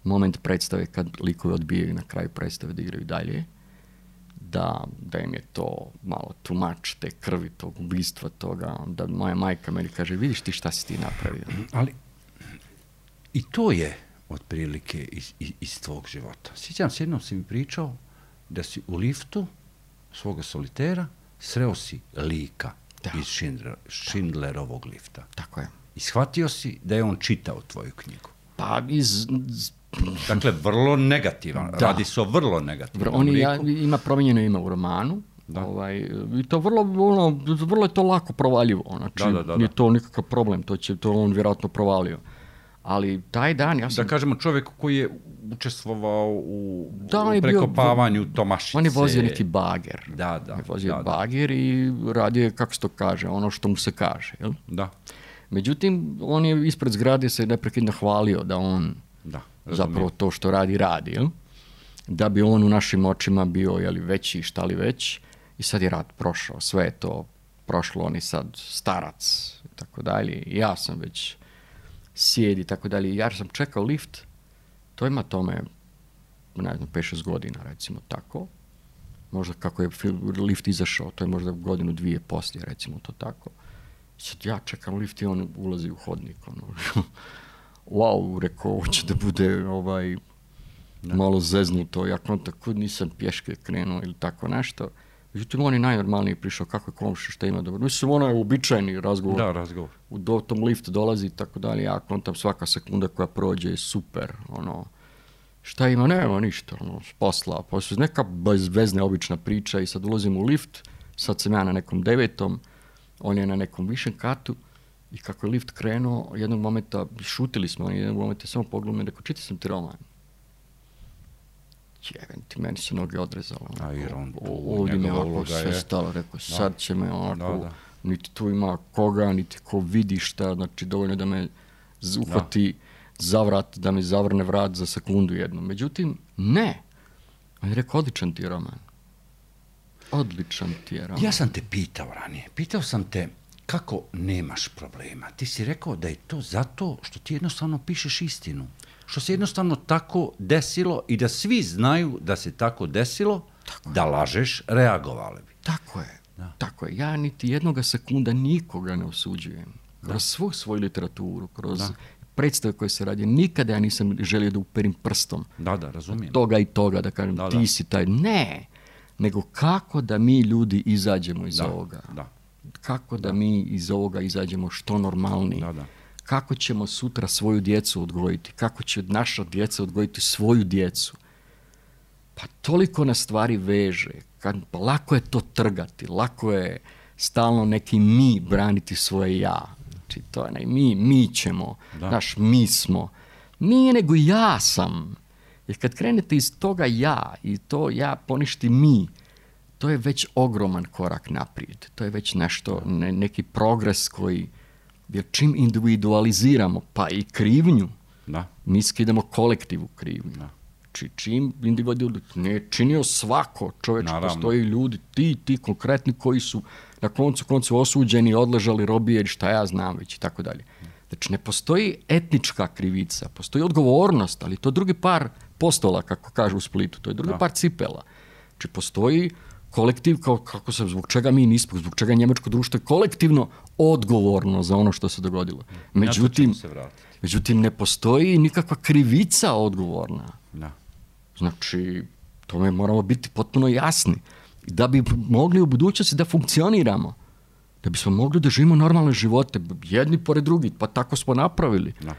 Speaker 2: moment predstave kad likovi odbijaju na kraju predstave da igraju dalje, da, da im je to malo too much, te krvi, tog ubistva, toga, da moja majka meni kaže, vidiš ti šta si ti napravio.
Speaker 1: Ali i to je otprilike iz, iz, iz tvog života. Sjećam se, jednom si mi pričao da si u liftu svoga solitera sreo si lika da. iz Schindler, Schindlerovog lifta.
Speaker 2: Tako je.
Speaker 1: I shvatio si da je on čitao tvoju knjigu.
Speaker 2: Pa iz...
Speaker 1: Dakle, vrlo negativan. Da. Radi se o vrlo negativnom
Speaker 2: On ja, ima promijenjeno ime u romanu. Da. Ovaj, i to vrlo, ono, vrlo je to lako provaljivo. Znači, da, da, da, nije to nikakav problem. To će to on vjerojatno provalio. Ali taj dan ja sam...
Speaker 1: Da kažemo čovjek koji je učestvovao u, da, u prekopavanju bio, Tomašice.
Speaker 2: On je vozio neki bager.
Speaker 1: Da, da.
Speaker 2: On je vozio
Speaker 1: da,
Speaker 2: bager da. i radio je, kako se to kaže, ono što mu se kaže. Jel?
Speaker 1: Da.
Speaker 2: Međutim, on je ispred zgrade se neprekidno hvalio da on
Speaker 1: da,
Speaker 2: zapravo to što radi, radi. Jel? Da bi on u našim očima bio jeli, veći, šta li već. I sad je rat prošao. Sve je to prošlo. On je sad starac i tako dalje. I ja sam već sjedi i tako dalje. Ja sam čekao lift. To ima tome, ne znam, pet šest godina, recimo tako. Možda kako je lift izašao, to je možda godinu, dvije poslije, recimo to tako. Sad ja čekam lift i on ulazi u hodnik. Ono. Wow, rekao, hoće da bude ovaj, da. malo zeznuto. Ja tako nisam pješke krenuo ili tako nešto. Međutim, on je najnormalniji prišao, kako je komši, šta ima dobro. Mislim, ono je uobičajeni razgovor.
Speaker 1: Da, razgovor.
Speaker 2: U do tom lift dolazi i tako dalje. Ja kontam svaka sekunda koja prođe je super. Ono, šta ima? Nema ništa. Ono, posla. Posle neka bezvezna obična priča i sad ulazim u lift. Sad sam ja na nekom devetom. On je na nekom višem katu i kako je lift krenuo, jednog momenta, šutili smo, on jednog momenta samo pogledao i rekao, čitao sam ti roman. Jeben ti, meni se noge odrezalo.
Speaker 1: A i on tu,
Speaker 2: ovdje me ovako sve je... stalo, rekao, sad će me onako, da, da. niti tu ima koga, niti ko vidi šta, znači dovoljno da me uhvati da. za vrat, da mi zavrne vrat za sekundu jednu. Međutim, ne. On je rekao, odličan ti je roman. Odličan ti je roman.
Speaker 1: Ja sam te pitao ranije, pitao sam te kako nemaš problema. Ti si rekao da je to zato što ti jednostavno pišeš istinu. Što se jednostavno tako desilo i da svi znaju da se tako desilo, tako da lažeš, reagovali bi.
Speaker 2: Tako je, da. tako je. Ja niti jednoga sekunda nikoga ne osuđujem. Kroz da. svu svoju literaturu, kroz da. predstave koje se radi, nikada ja nisam želio da uperim prstom.
Speaker 1: Da, da, razumijem.
Speaker 2: Toga i toga, da kažem, da, ti da. si taj. Ne, nego kako da mi ljudi izađemo iz
Speaker 1: da,
Speaker 2: ovoga.
Speaker 1: Da.
Speaker 2: Kako da, da mi iz ovoga izađemo što normalniji.
Speaker 1: Da, da.
Speaker 2: Kako ćemo sutra svoju djecu odgojiti, kako će naša djeca odgojiti svoju djecu. Pa toliko na stvari veže, kad, pa lako je to trgati, lako je stalno neki mi braniti svoje ja. Znači to je ne, mi, mi ćemo, da. naš mi smo. Nije nego ja sam. Jer kad krenete iz toga ja i to ja poništi mi, to je već ogroman korak naprijed. To je već nešto, ne, neki progres koji... Jer čim individualiziramo, pa i krivnju, da. mi skidamo kolektivu krivnju. Da. Či, čim individualiziramo, ne činio svako čovječ, postoji ljudi, ti, ti konkretni koji su na koncu koncu osuđeni, odležali, robije, šta ja znam već i tako dalje. Znači ne postoji etnička krivica, postoji odgovornost, ali to je drugi par postola, kako kažu u Splitu, to je drugi da. par cipela. Znači postoji kolektiv, kao, kako se, zbog čega mi nismo, zbog čega njemačko društvo je kolektivno odgovorno za ono što se dogodilo. Međutim,
Speaker 1: se
Speaker 2: međutim ne postoji nikakva krivica odgovorna.
Speaker 1: Da.
Speaker 2: Znači, tome moramo biti potpuno jasni. Da bi mogli u budućnosti da funkcioniramo, da bismo mogli da živimo normalne živote, jedni pored drugih, pa tako smo napravili.
Speaker 1: Da.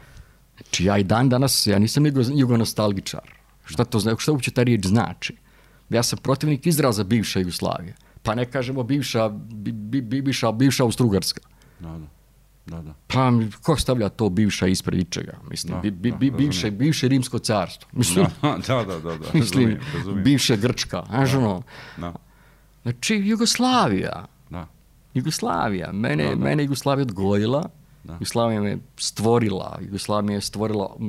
Speaker 2: Znači, ja i dan danas, ja nisam jugonostalgičar. Šta to znači, šta uopće ta riječ znači? Ja sam protivnik izraza bivše Jugoslavije. pa ne kažemo bivša, bi, bi, bivša, bivša Austrougarska.
Speaker 1: Da, da. Da, da.
Speaker 2: Pa ko stavlja to bivša ispred ičega? Mislim,
Speaker 1: Da,
Speaker 2: bi, bi,
Speaker 1: da,
Speaker 2: bi, bivše, bivše Rimsko carstvo. Mislim,
Speaker 1: Da, da, da, da, da.
Speaker 2: mislim
Speaker 1: Razumijem, razumijem.
Speaker 2: bivše Grčka. Znaš, ono,
Speaker 1: Da,
Speaker 2: znači, Jugoslavija.
Speaker 1: da.
Speaker 2: Jugoslavija. Mene,
Speaker 1: Da, da.
Speaker 2: mene Jugoslavija odgojila.
Speaker 1: Da.
Speaker 2: Jugoslavija me stvorila. Jugoslavija me je stvorila mm,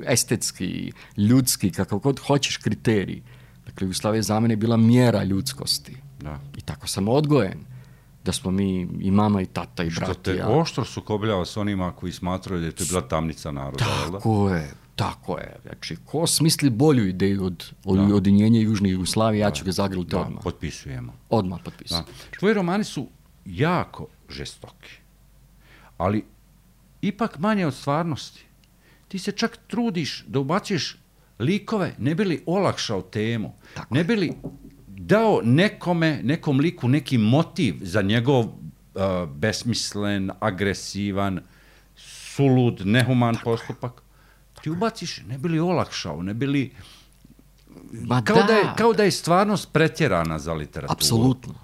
Speaker 2: estetski, ljudski, kakav god hoćeš kriterij. Dakle, Jugoslavija je za mene bila mjera ljudskosti.
Speaker 1: Da.
Speaker 2: I tako sam odgojen. Da smo mi i mama i tata i
Speaker 1: Što
Speaker 2: brat i
Speaker 1: te
Speaker 2: ja.
Speaker 1: oštro sukobljava s onima koji smatraju da je to bila tamnica naroda, jel da?
Speaker 2: Tako je, tako je. Znači, ko smisli bolju ideju od, od
Speaker 1: Da.
Speaker 2: ujedinjenja Južne Jugoslavije, ja ću ga zagrliti
Speaker 1: Da,
Speaker 2: odmah.
Speaker 1: potpisujemo.
Speaker 2: Odmah
Speaker 1: Da.
Speaker 2: potpisati.
Speaker 1: Tvoji romani su jako žestoki, ali ipak manje od stvarnosti. Ti se čak trudiš da ubacuješ likove, ne bi li olakšao temu,
Speaker 2: Tako
Speaker 1: ne bi li dao nekome, nekom liku neki motiv za njegov uh, besmislen, agresivan, sulud, nehuman postupak. Ti ubaciš, ne bi li olakšao, ne bi li...
Speaker 2: Ma
Speaker 1: Kao
Speaker 2: da,
Speaker 1: da, je, kao da je stvarnost pretjerana za literaturu.
Speaker 2: apsolutno.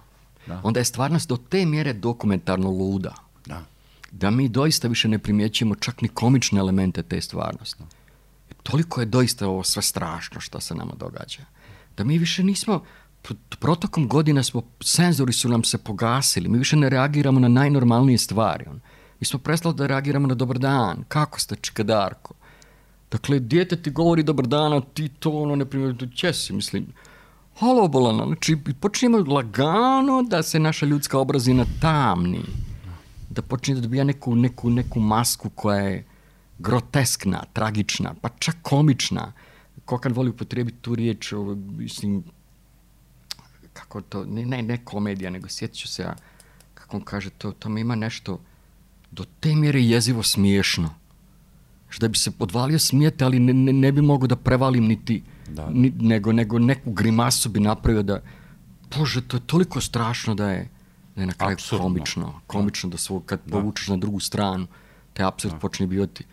Speaker 1: Da.
Speaker 2: Onda je stvarnost do te mjere dokumentarno luda.
Speaker 1: Da.
Speaker 2: Da mi doista više ne primjećujemo čak ni komične elemente te stvarnosti. Toliko je doista ovo sve strašno što se nama događa. Da mi više nismo, protokom godina smo, senzori su nam se pogasili, mi više ne reagiramo na najnormalnije stvari. Mi smo prestali da reagiramo na dobar dan, kako ste čikadarko. Dakle, dijete ti govori dobar dan, a ti to ono ne primjer, če si, mislim, halo bolano, znači počinjemo lagano da se naša ljudska obrazina tamni, da počinje da dobija neku, neku, neku masku koja je groteskna, tragična, pa čak komična. Kokan voli upotrijebiti tu riječ, ovo, mislim, kako to, ne, ne, ne komedija, nego sjetit ću se ja, kako on kaže, to, to mi ima nešto do te mjere jezivo smiješno. Da bi se odvalio smijete, ali ne, ne, ne bi mogao da prevalim niti,
Speaker 1: Da.
Speaker 2: ni, nego, nego neku grimasu bi napravio da, Bože, to je toliko strašno da je, da je na kraju
Speaker 1: Apsurdno.
Speaker 2: komično. Komično da svog, kad
Speaker 1: Da.
Speaker 2: povučeš na drugu stranu, taj apsurd počne biti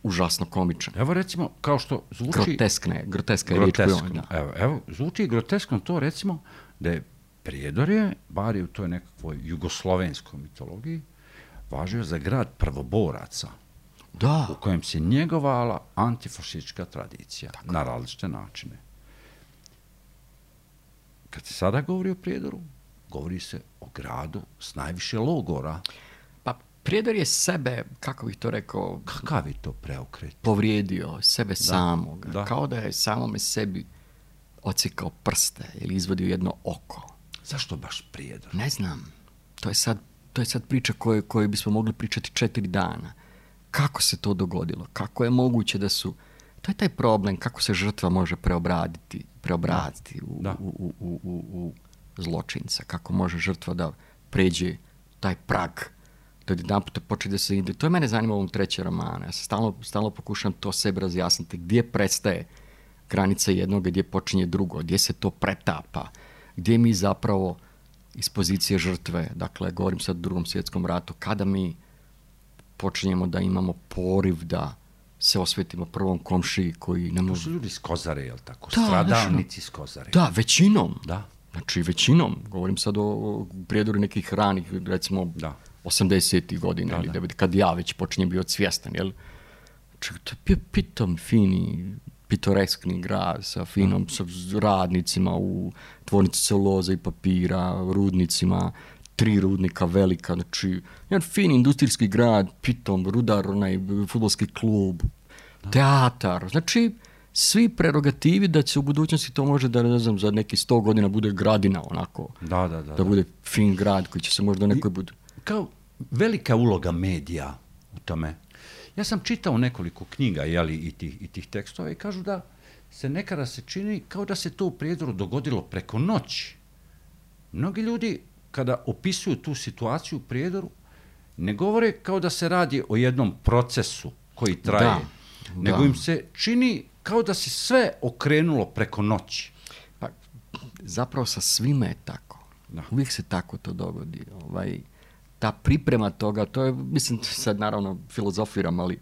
Speaker 2: užasno komičan.
Speaker 1: Evo recimo, kao što zvuči...
Speaker 2: Groteskne, groteska je riječ koju on,
Speaker 1: groteskno.
Speaker 2: da.
Speaker 1: Evo, evo, zvuči groteskno to recimo da je Prijedorje, bar je u toj nekakvoj jugoslovenskoj mitologiji, važio za grad prvoboraca,
Speaker 2: Da,
Speaker 1: u kojem se njegovala antifašistička tradicija na različite načine. Kad se sada govori o Prijedoru, govori se o gradu s najviše logora.
Speaker 2: pa Prijedor je sebe, kako bih to rekao,
Speaker 1: Kakav je to preokret?
Speaker 2: povrijedio sebe samog.
Speaker 1: da.
Speaker 2: Kao da je samome sebi ocikao prste ili izvadio jedno oko.
Speaker 1: Zašto baš Prijedor?
Speaker 2: Ne znam. To je sad, to je sad priča koju, koju bismo mogli pričati četiri dana. Kako se to dogodilo? Kako je moguće da su... To je taj problem, kako se žrtva može preobraditi, preobraditi u,
Speaker 1: Da.
Speaker 2: u, u, u, u, u zločinca. Kako može žrtva da pređe taj prag, da jedanput počne da se ide. To je mene zanima u ovom trećem romanu. Ja se stalno, stalno pokušam to sebi razjasniti. Gdje prestaje granica jednog, gdje počinje drugo, gdje se to pretapa, gdje mi zapravo iz pozicije žrtve, dakle, govorim sad o drugom svjetskom ratu, kada mi počinjemo da imamo poriv da se osvetimo prvom komšiji koji ne
Speaker 1: To
Speaker 2: može...
Speaker 1: su ljudi s Kozare, jel tako?
Speaker 2: Da,
Speaker 1: Stradalnici s Kozare.
Speaker 2: Da, većinom.
Speaker 1: Da.
Speaker 2: Znači, većinom. Govorim sad o, o prijedoru nekih ranih, recimo,
Speaker 1: Da.
Speaker 2: osamdesetih godina,
Speaker 1: Da,
Speaker 2: ili
Speaker 1: da.
Speaker 2: devedesetih, kad ja već počinjem bio svjestan, jel? Znači, to je bio pitom, fini, pitoreskni grad sa finom, sa radnicima u tvornici celuloze i papira, rudnicima, tri rudnika velika, znači, jedan fin industrijski grad, pitom, rudar, onaj fudbalski klub, teatar, znači, svi prerogativi da će u budućnosti to može da, ne znam, za neki sto godina bude gradina, onako,
Speaker 1: Da, da, da.
Speaker 2: da
Speaker 1: da.
Speaker 2: bude fin grad koji će se možda nekoj bude...
Speaker 1: Kao velika uloga medija u tome. Ja sam čitao nekoliko knjiga, jeli, i tih, i tih tekstova i kažu da se nekada se čini kao da se to u Prijedoru dogodilo preko noći. Mnogi ljudi, kada opisuju tu situaciju u Prijedoru, ne govore kao da se radi o jednom procesu koji traje,
Speaker 2: Da,
Speaker 1: nego
Speaker 2: da.
Speaker 1: im se čini kao da se sve okrenulo preko noći.
Speaker 2: Pa, zapravo sa svime je tako.
Speaker 1: Da.
Speaker 2: Uvijek se tako to dogodi. Ovaj, ta priprema toga, to je, mislim, sad naravno filozofiram, ali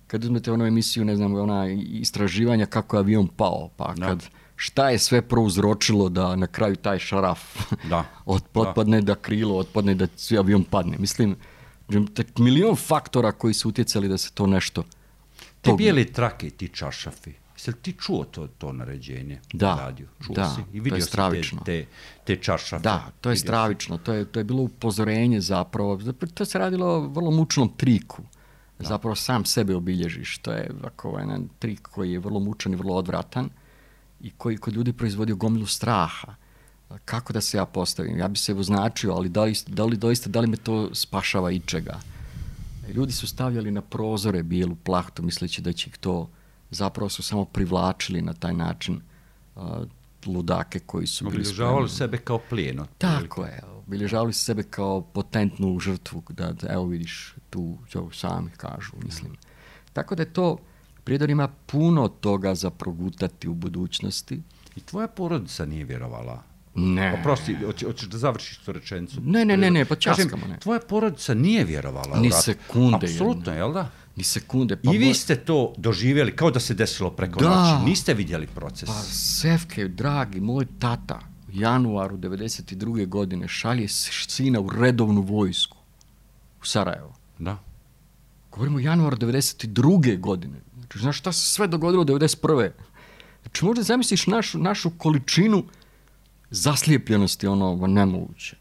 Speaker 2: kad uzmete onu emisiju, ne znam, ona istraživanja kako je avion pao, pa
Speaker 1: Da.
Speaker 2: kad šta je sve prouzročilo da na kraju taj šaraf
Speaker 1: da.
Speaker 2: otpadne, da. da krilo otpadne, da svi avion padne. Mislim, milion faktora koji su utjecali da se to nešto...
Speaker 1: Te bijele trake i ti čaršafi, jesi li ti čuo to, to naređenje?
Speaker 2: Da,
Speaker 1: radio? Čuo
Speaker 2: da,
Speaker 1: si? I vidio
Speaker 2: to je stravično.
Speaker 1: Te, te, te čaršafe?
Speaker 2: Da, to je stravično, to je, to je bilo upozorenje zapravo, to se radilo o vrlo mučnom triku, da. Zapravo sam sebe obilježiš, to je ovako jedan trik koji je vrlo mučan i vrlo odvratan i koji kod ljudi proizvodio gomilu straha. Kako da se ja postavim? Ja bi se označio, ali da li, da li doista, da li me to spašava ičega? Ljudi su stavljali na prozore bijelu plahtu misleći da će ih to, zapravo su samo privlačili na taj način uh, ludake koji su bili spremni.
Speaker 1: Obilježavali sebe kao plijeno.
Speaker 2: Tako je, obilježavali su sebe kao potentnu žrtvu, da, da evo vidiš, tu sami kažu, mislim. Mm. Tako da je to, Prijedor ima puno toga za progutati u budućnosti.
Speaker 1: I tvoja porodica nije vjerovala?
Speaker 2: Ne.
Speaker 1: Oprosti, hoćeš da završiš tu rečenicu?
Speaker 2: Ne, ne, ne, ne, pa časkamo, ne.
Speaker 1: Tvoja porodica nije vjerovala
Speaker 2: ni
Speaker 1: u rat.
Speaker 2: Sekunde.
Speaker 1: Apsolutno, jel da?
Speaker 2: Ni sekunde. Pa
Speaker 1: I vi ste to doživjeli kao da se desilo preko
Speaker 2: da.
Speaker 1: noći. Niste vidjeli proces.
Speaker 2: Pa Sefke, dragi, moj tata u januaru devedeset druge godine šalje sina u redovnu vojsku u Sarajevo.
Speaker 1: Da.
Speaker 2: Govorimo o januaru devedeset druge godine. Znači, znaš šta se sve dogodilo devedeset prve Znači, možda zamisliš našu, našu količinu zaslijepljenosti, ono, nemoguće.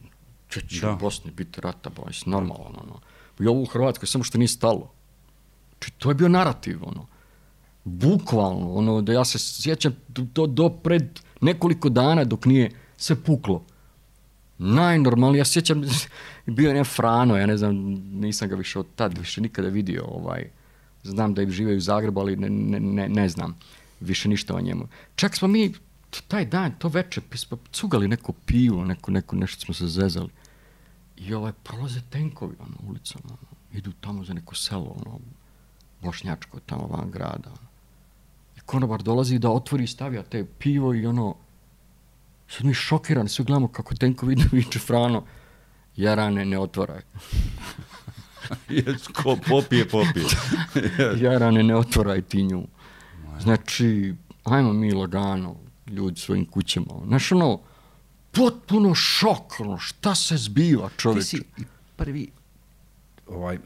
Speaker 2: Če će u Bosni biti rata, bojs, normalno, ono. I ovo u Hrvatskoj, samo što nije stalo. Znači, to je bio narativ, ono. Bukvalno, ono, da ja se sjećam do, do pred nekoliko dana dok nije sve puklo. Najnormalnije, ja sjećam, bio je ne Frano, ja ne znam, nisam ga više od tad više nikada vidio, ovaj, znam da je žive u Zagrebu, ali ne, ne, ne, ne znam više ništa o njemu. Čak smo mi taj dan, to večer, smo cugali neko pivo, neko, neko, nešto smo se zezali. I ovaj, prolaze tenkovi, ono, ulicom, ono, idu tamo za neko selo, ono, bošnjačko, tamo van grada. Ono. I konobar dolazi da otvori i stavlja te pivo i ono, sad mi šokirani, svi gledamo kako tenkovi idu, viče Frano, Jarane, ne otvaraj.
Speaker 1: Ko popije, popije.
Speaker 2: Jarane, ne otvaraj ti nju. Znači, ajmo mi lagano, ljudi svojim kućama. Znaš, ono, potpuno šok, ono, šta se zbiva, čovječe.
Speaker 1: Ti si prvi, ovaj,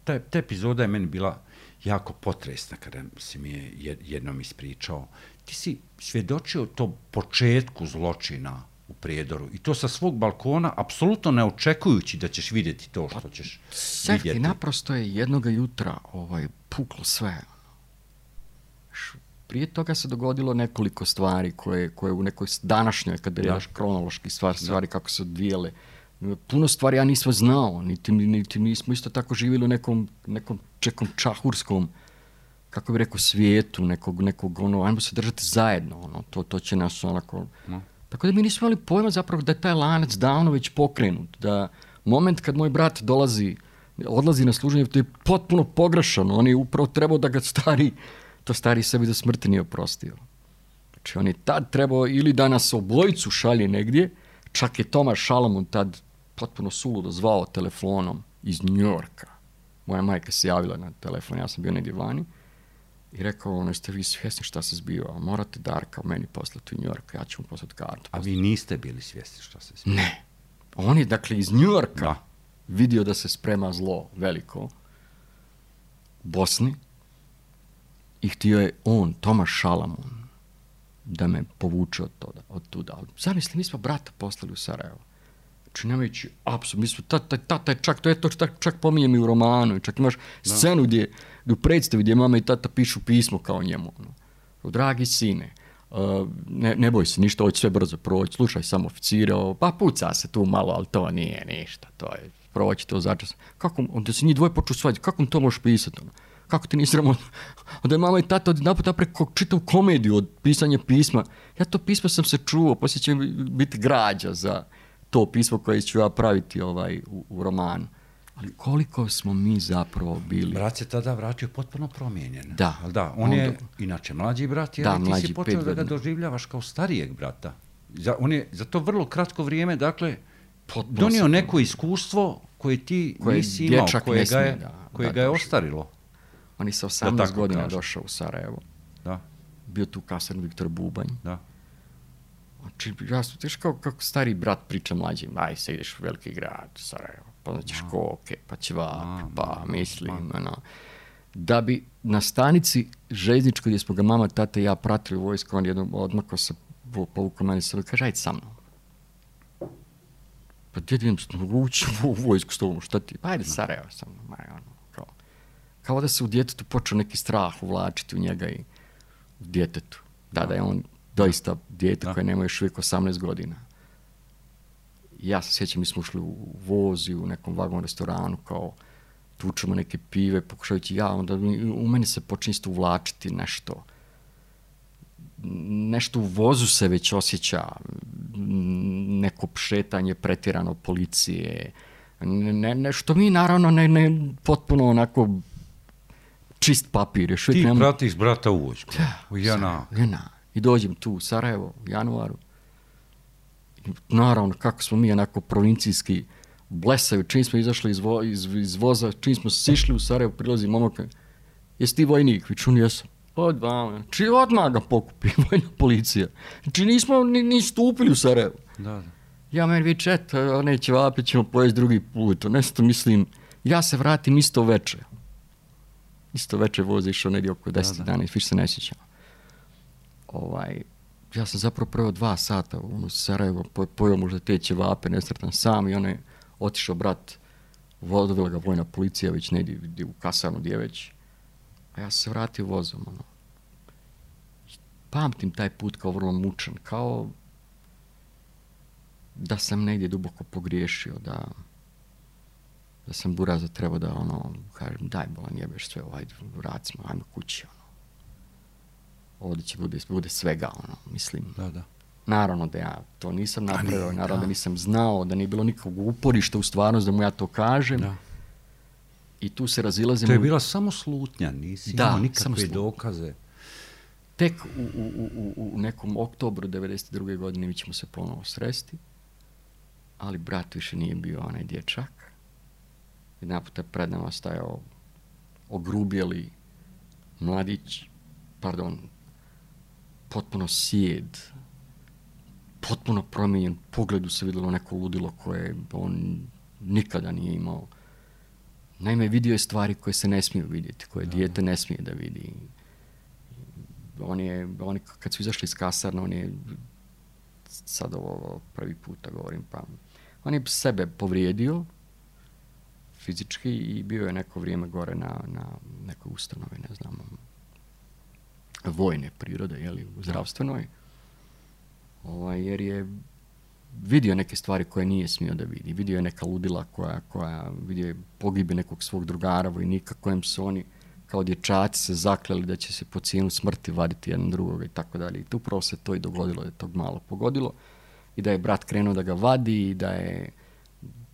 Speaker 1: ta, ta epizoda je meni bila jako potresna kada si mi je jednom ispričao. Ti si svjedočio to početku zločina u Prijedoru i to sa svog balkona, apsolutno ne očekujući da ćeš vidjeti to što ćeš
Speaker 2: Sefki,
Speaker 1: vidjeti.
Speaker 2: Naprosto je jednoga jutra ovaj, puklo sve. Prije toga se dogodilo nekoliko stvari koje, koje u nekoj današnjoj, kada gledaš kronološki stvari, stvari kako se odvijele. Puno stvari ja nisam znao, niti, niti mi smo isto tako živjeli u nekom, nekom čekom čahurskom, kako bi rekao, svijetu, nekog, nekog ono, ajmo se držati zajedno, ono, to, to će nas onako... No. Tako da mi nismo imali pojma zapravo da je taj lanac davno već pokrenut, da moment kad moj brat dolazi, odlazi na služenje, to je potpuno pogrešano, on je upravo trebao da ga stari, to stari sebi do smrti nije oprostio. Znači on je tad trebao ili da nas obojicu šalje negdje, čak je Tomaš Šalamun tad potpuno suludo zvao telefonom iz Njujorka. Moja majka se javila na telefon, ja sam bio negdje vani i rekao, ono, jeste vi svjesni šta se zbiva, morate Darka meni poslati u Njujork, ja ću mu poslati kartu.
Speaker 1: A vi niste bili svjesni šta se zbiva?
Speaker 2: Ne. On je, dakle, iz Njujorka da. vidio da se sprema zlo veliko u Bosni i htio je on, Tomaš Šalamun, da me povuče od, toga, od tuda. Zamisli, mi smo brata poslali u Sarajevo. Znači, nemajući apsolutno, mi smo, tata, tata je čak, to je to čak, čak pominjem i u romanu, čak imaš no. scenu gdje, u predstavi gdje mama i tata pišu pismo kao njemu. Ono. Dragi sine, uh, ne, ne boj se, ništa, ovo će sve brzo proći, slušaj samo oficire, pa puca se tu malo, ali to nije ništa, to je, proći to začas. Kako, onda se njih dvoje poču svađati, kako mi to možeš pisati? Ono? Kako ti nisi ramon? Onda je mama i tata odjedanput napreko čitav komediju od pisanja pisma. Ja to pismo sam se čuo, poslije će biti građa za to pismo koje ću ja praviti ovaj, u, u romanu. Ali koliko smo mi zapravo bili...
Speaker 1: Brat se tada vratio potpuno promijenjen.
Speaker 2: Da.
Speaker 1: Ali da, on je inače mlađi brat, jer
Speaker 2: da,
Speaker 1: ti
Speaker 2: mlađi,
Speaker 1: si počeo da ga doživljavaš kao starijeg brata. Za, on je za to vrlo kratko vrijeme, dakle, potpuno donio neko iskustvo koje ti koje nisi imao, koje ga je, da, koje da, ga je ostarilo.
Speaker 2: On je sa osamnaest godina kažem. došao u Sarajevo.
Speaker 1: Da.
Speaker 2: Bio tu kasarni Viktor Bubanj.
Speaker 1: Da.
Speaker 2: Znači, ja sam teš kao kako stari brat priča mlađim, aj se ideš u veliki grad, Sarajevo, pa znaćeš koke, pa ćevap, pa mislim, ono. Da bi na stanici željezničkoj gdje smo ga mama, tata i ja pratili u vojsku, on jednom odmako se povukao meni se, kaže, ajde sa mnom. Pa djed idem ući u vojsku s tobom, šta ti? Pa ajde Sarajevo sa mnom, aj, ono, kao. Kao da se u djetetu počeo neki strah uvlačiti u njega i u djetetu. Da, da je on doista dijete koje nema još uvijek osamnaest godina. Ja se sjećam, mi smo ušli u voz i u nekom vagon restoranu, kao tučemo neke pive, pokušavajući ja, onda u meni se počne isto uvlačiti nešto. Nešto u vozu se već osjeća, neko pšetanje pretjerano policije, ne, nešto mi naravno ne, ne potpuno onako čist papir. Još
Speaker 1: ti
Speaker 2: nema...
Speaker 1: pratiš brata u vojsku, u Jana.
Speaker 2: Jana. I dođem tu u Sarajevo u januaru. I naravno, kako smo mi onako provincijski blesaju, čim smo izašli iz, vo, iz, iz voza, čim smo sišli u Sarajevo, prilazi momak, jesi ti vojnik? Vič, on jesam. Odmah, či odmah ga pokupi vojna policija. Znači nismo ni, ni stupili u Sarajevo.
Speaker 1: Da, da.
Speaker 2: Ja meni vič, eto, neće vapit, ćemo pojesti drugi put. Nešto mislim, ja se vratim isto veče. Isto veče voze išao negdje oko deset dana i više se ne sjećam. Ovaj, ja sam zapravo prvo dva sata u Sarajevo, pojeo možda te ćevape, nesretan sam i on je otišao brat, odvela ga vojna policija već negdje u kasarnu gdje već, a ja sam se vratio vozom. Ono. Pamtim taj put kao vrlo mučan, kao da sam negdje duboko pogriješio, da, da sam buraza trebao da ono, kažem, daj bolan jebeš sve, ajde, vracimo, ajmo kući. Ono. Ovdje će bude, bude svega, ono, mislim.
Speaker 1: Da, da.
Speaker 2: Naravno da ja to nisam napravio, naravno da nisam znao, da nije bilo nikakvog uporišta u stvarnost da mu ja to kažem. Da. I tu se razilazimo...
Speaker 1: To je bila samo slutnja, nisi
Speaker 2: da,
Speaker 1: imao nikakve dokaze.
Speaker 2: Tek u, u, u, u nekom oktobru devedeset druge godine mi ćemo se ponovo sresti, ali brat više nije bio onaj dječak. Jedan puta pred nama stajao ogrubjeli mladić, pardon, potpuno sjed, potpuno promijenjen, pogledu se vidjelo neko ludilo koje on nikada nije imao. Naime, vidio je stvari koje se ne smiju vidjeti, koje da. Dijete ne smije da vidi. On je, on je, kad su izašli iz kasarna, on je, sad ovo prvi puta govorim, pa on je sebe povrijedio fizički i bio je neko vrijeme gore na, na nekoj ustanovi, ne znam, vojne prirode, jeli, u zdravstvenoj, ovaj, jer je vidio neke stvari koje nije smio da vidi. Vidio je neka ludila koja, koja vidio je pogibe nekog svog drugara, vojnika, kojem su oni kao dječaci se zakleli da će se po cijenu smrti vaditi jedan drugoga i tako dalje. I tu upravo se to i dogodilo, da je tog malo pogodilo i da je brat krenuo da ga vadi i da je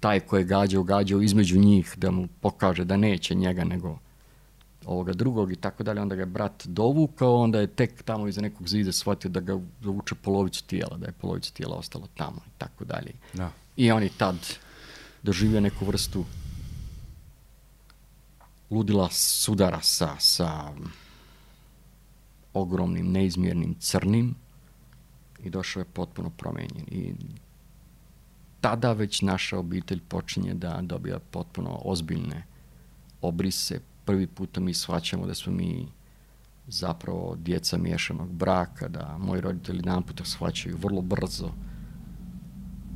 Speaker 2: taj koji je gađao, gađao između njih da mu pokaže da neće njega nego ovoga drugog i tako dalje. Onda ga je brat dovukao, onda je tek tamo iza nekog zida shvatio da ga dovuče polovicu tijela, da je polovicu tijela ostalo tamo i tako dalje. Da. I on je tad doživio neku vrstu ludila sudara sa, sa ogromnim, neizmjernim crnim i došao je potpuno promijenjen. I tada već naša obitelj počinje da dobija potpuno ozbiljne obrise. Prvi puta mi shvaćamo da smo mi zapravo djeca miješanog braka, da moji roditelji jedan puta shvaćaju vrlo brzo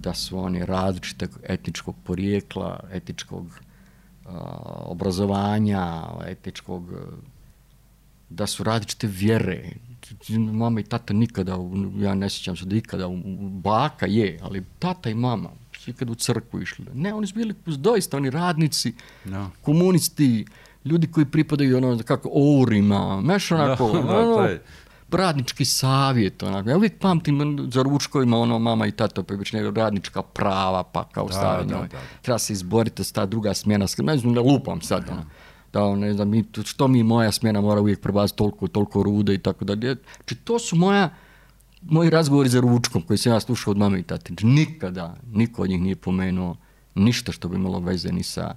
Speaker 2: da su oni različitog etničkog porijekla, etničkog uh, obrazovanja, etničkog, uh, da su različite vjere. Mama i tata nikada, ja ne sjećam se da ikada, baka je, ali tata i mama su ikada u crkvu išli. Ne, oni su bili doista, oni radnici, no. komunisti, ljudi koji pripadaju ono, kako, Ourima, meš onako, no, no, ono, taj. radnički savjet, onako. Ja uvijek pamtim za ručkovima, ono, mama i tata, pa već ne, radnička prava, pa kao stavljanje. Da, da, da. Treba se izboriti s ta druga smjena, ne znam, ne lupam sad, ono. Da, ne znam, što mi moja smjena mora uvijek prebaciti toliko, toliko rude i tako dalje. Znači, to su moja, moji razgovori za ručkom koji sam ja slušao od mame i tate. Znači, nikada, niko od njih nije pomenuo ništa što bi imalo veze ni sa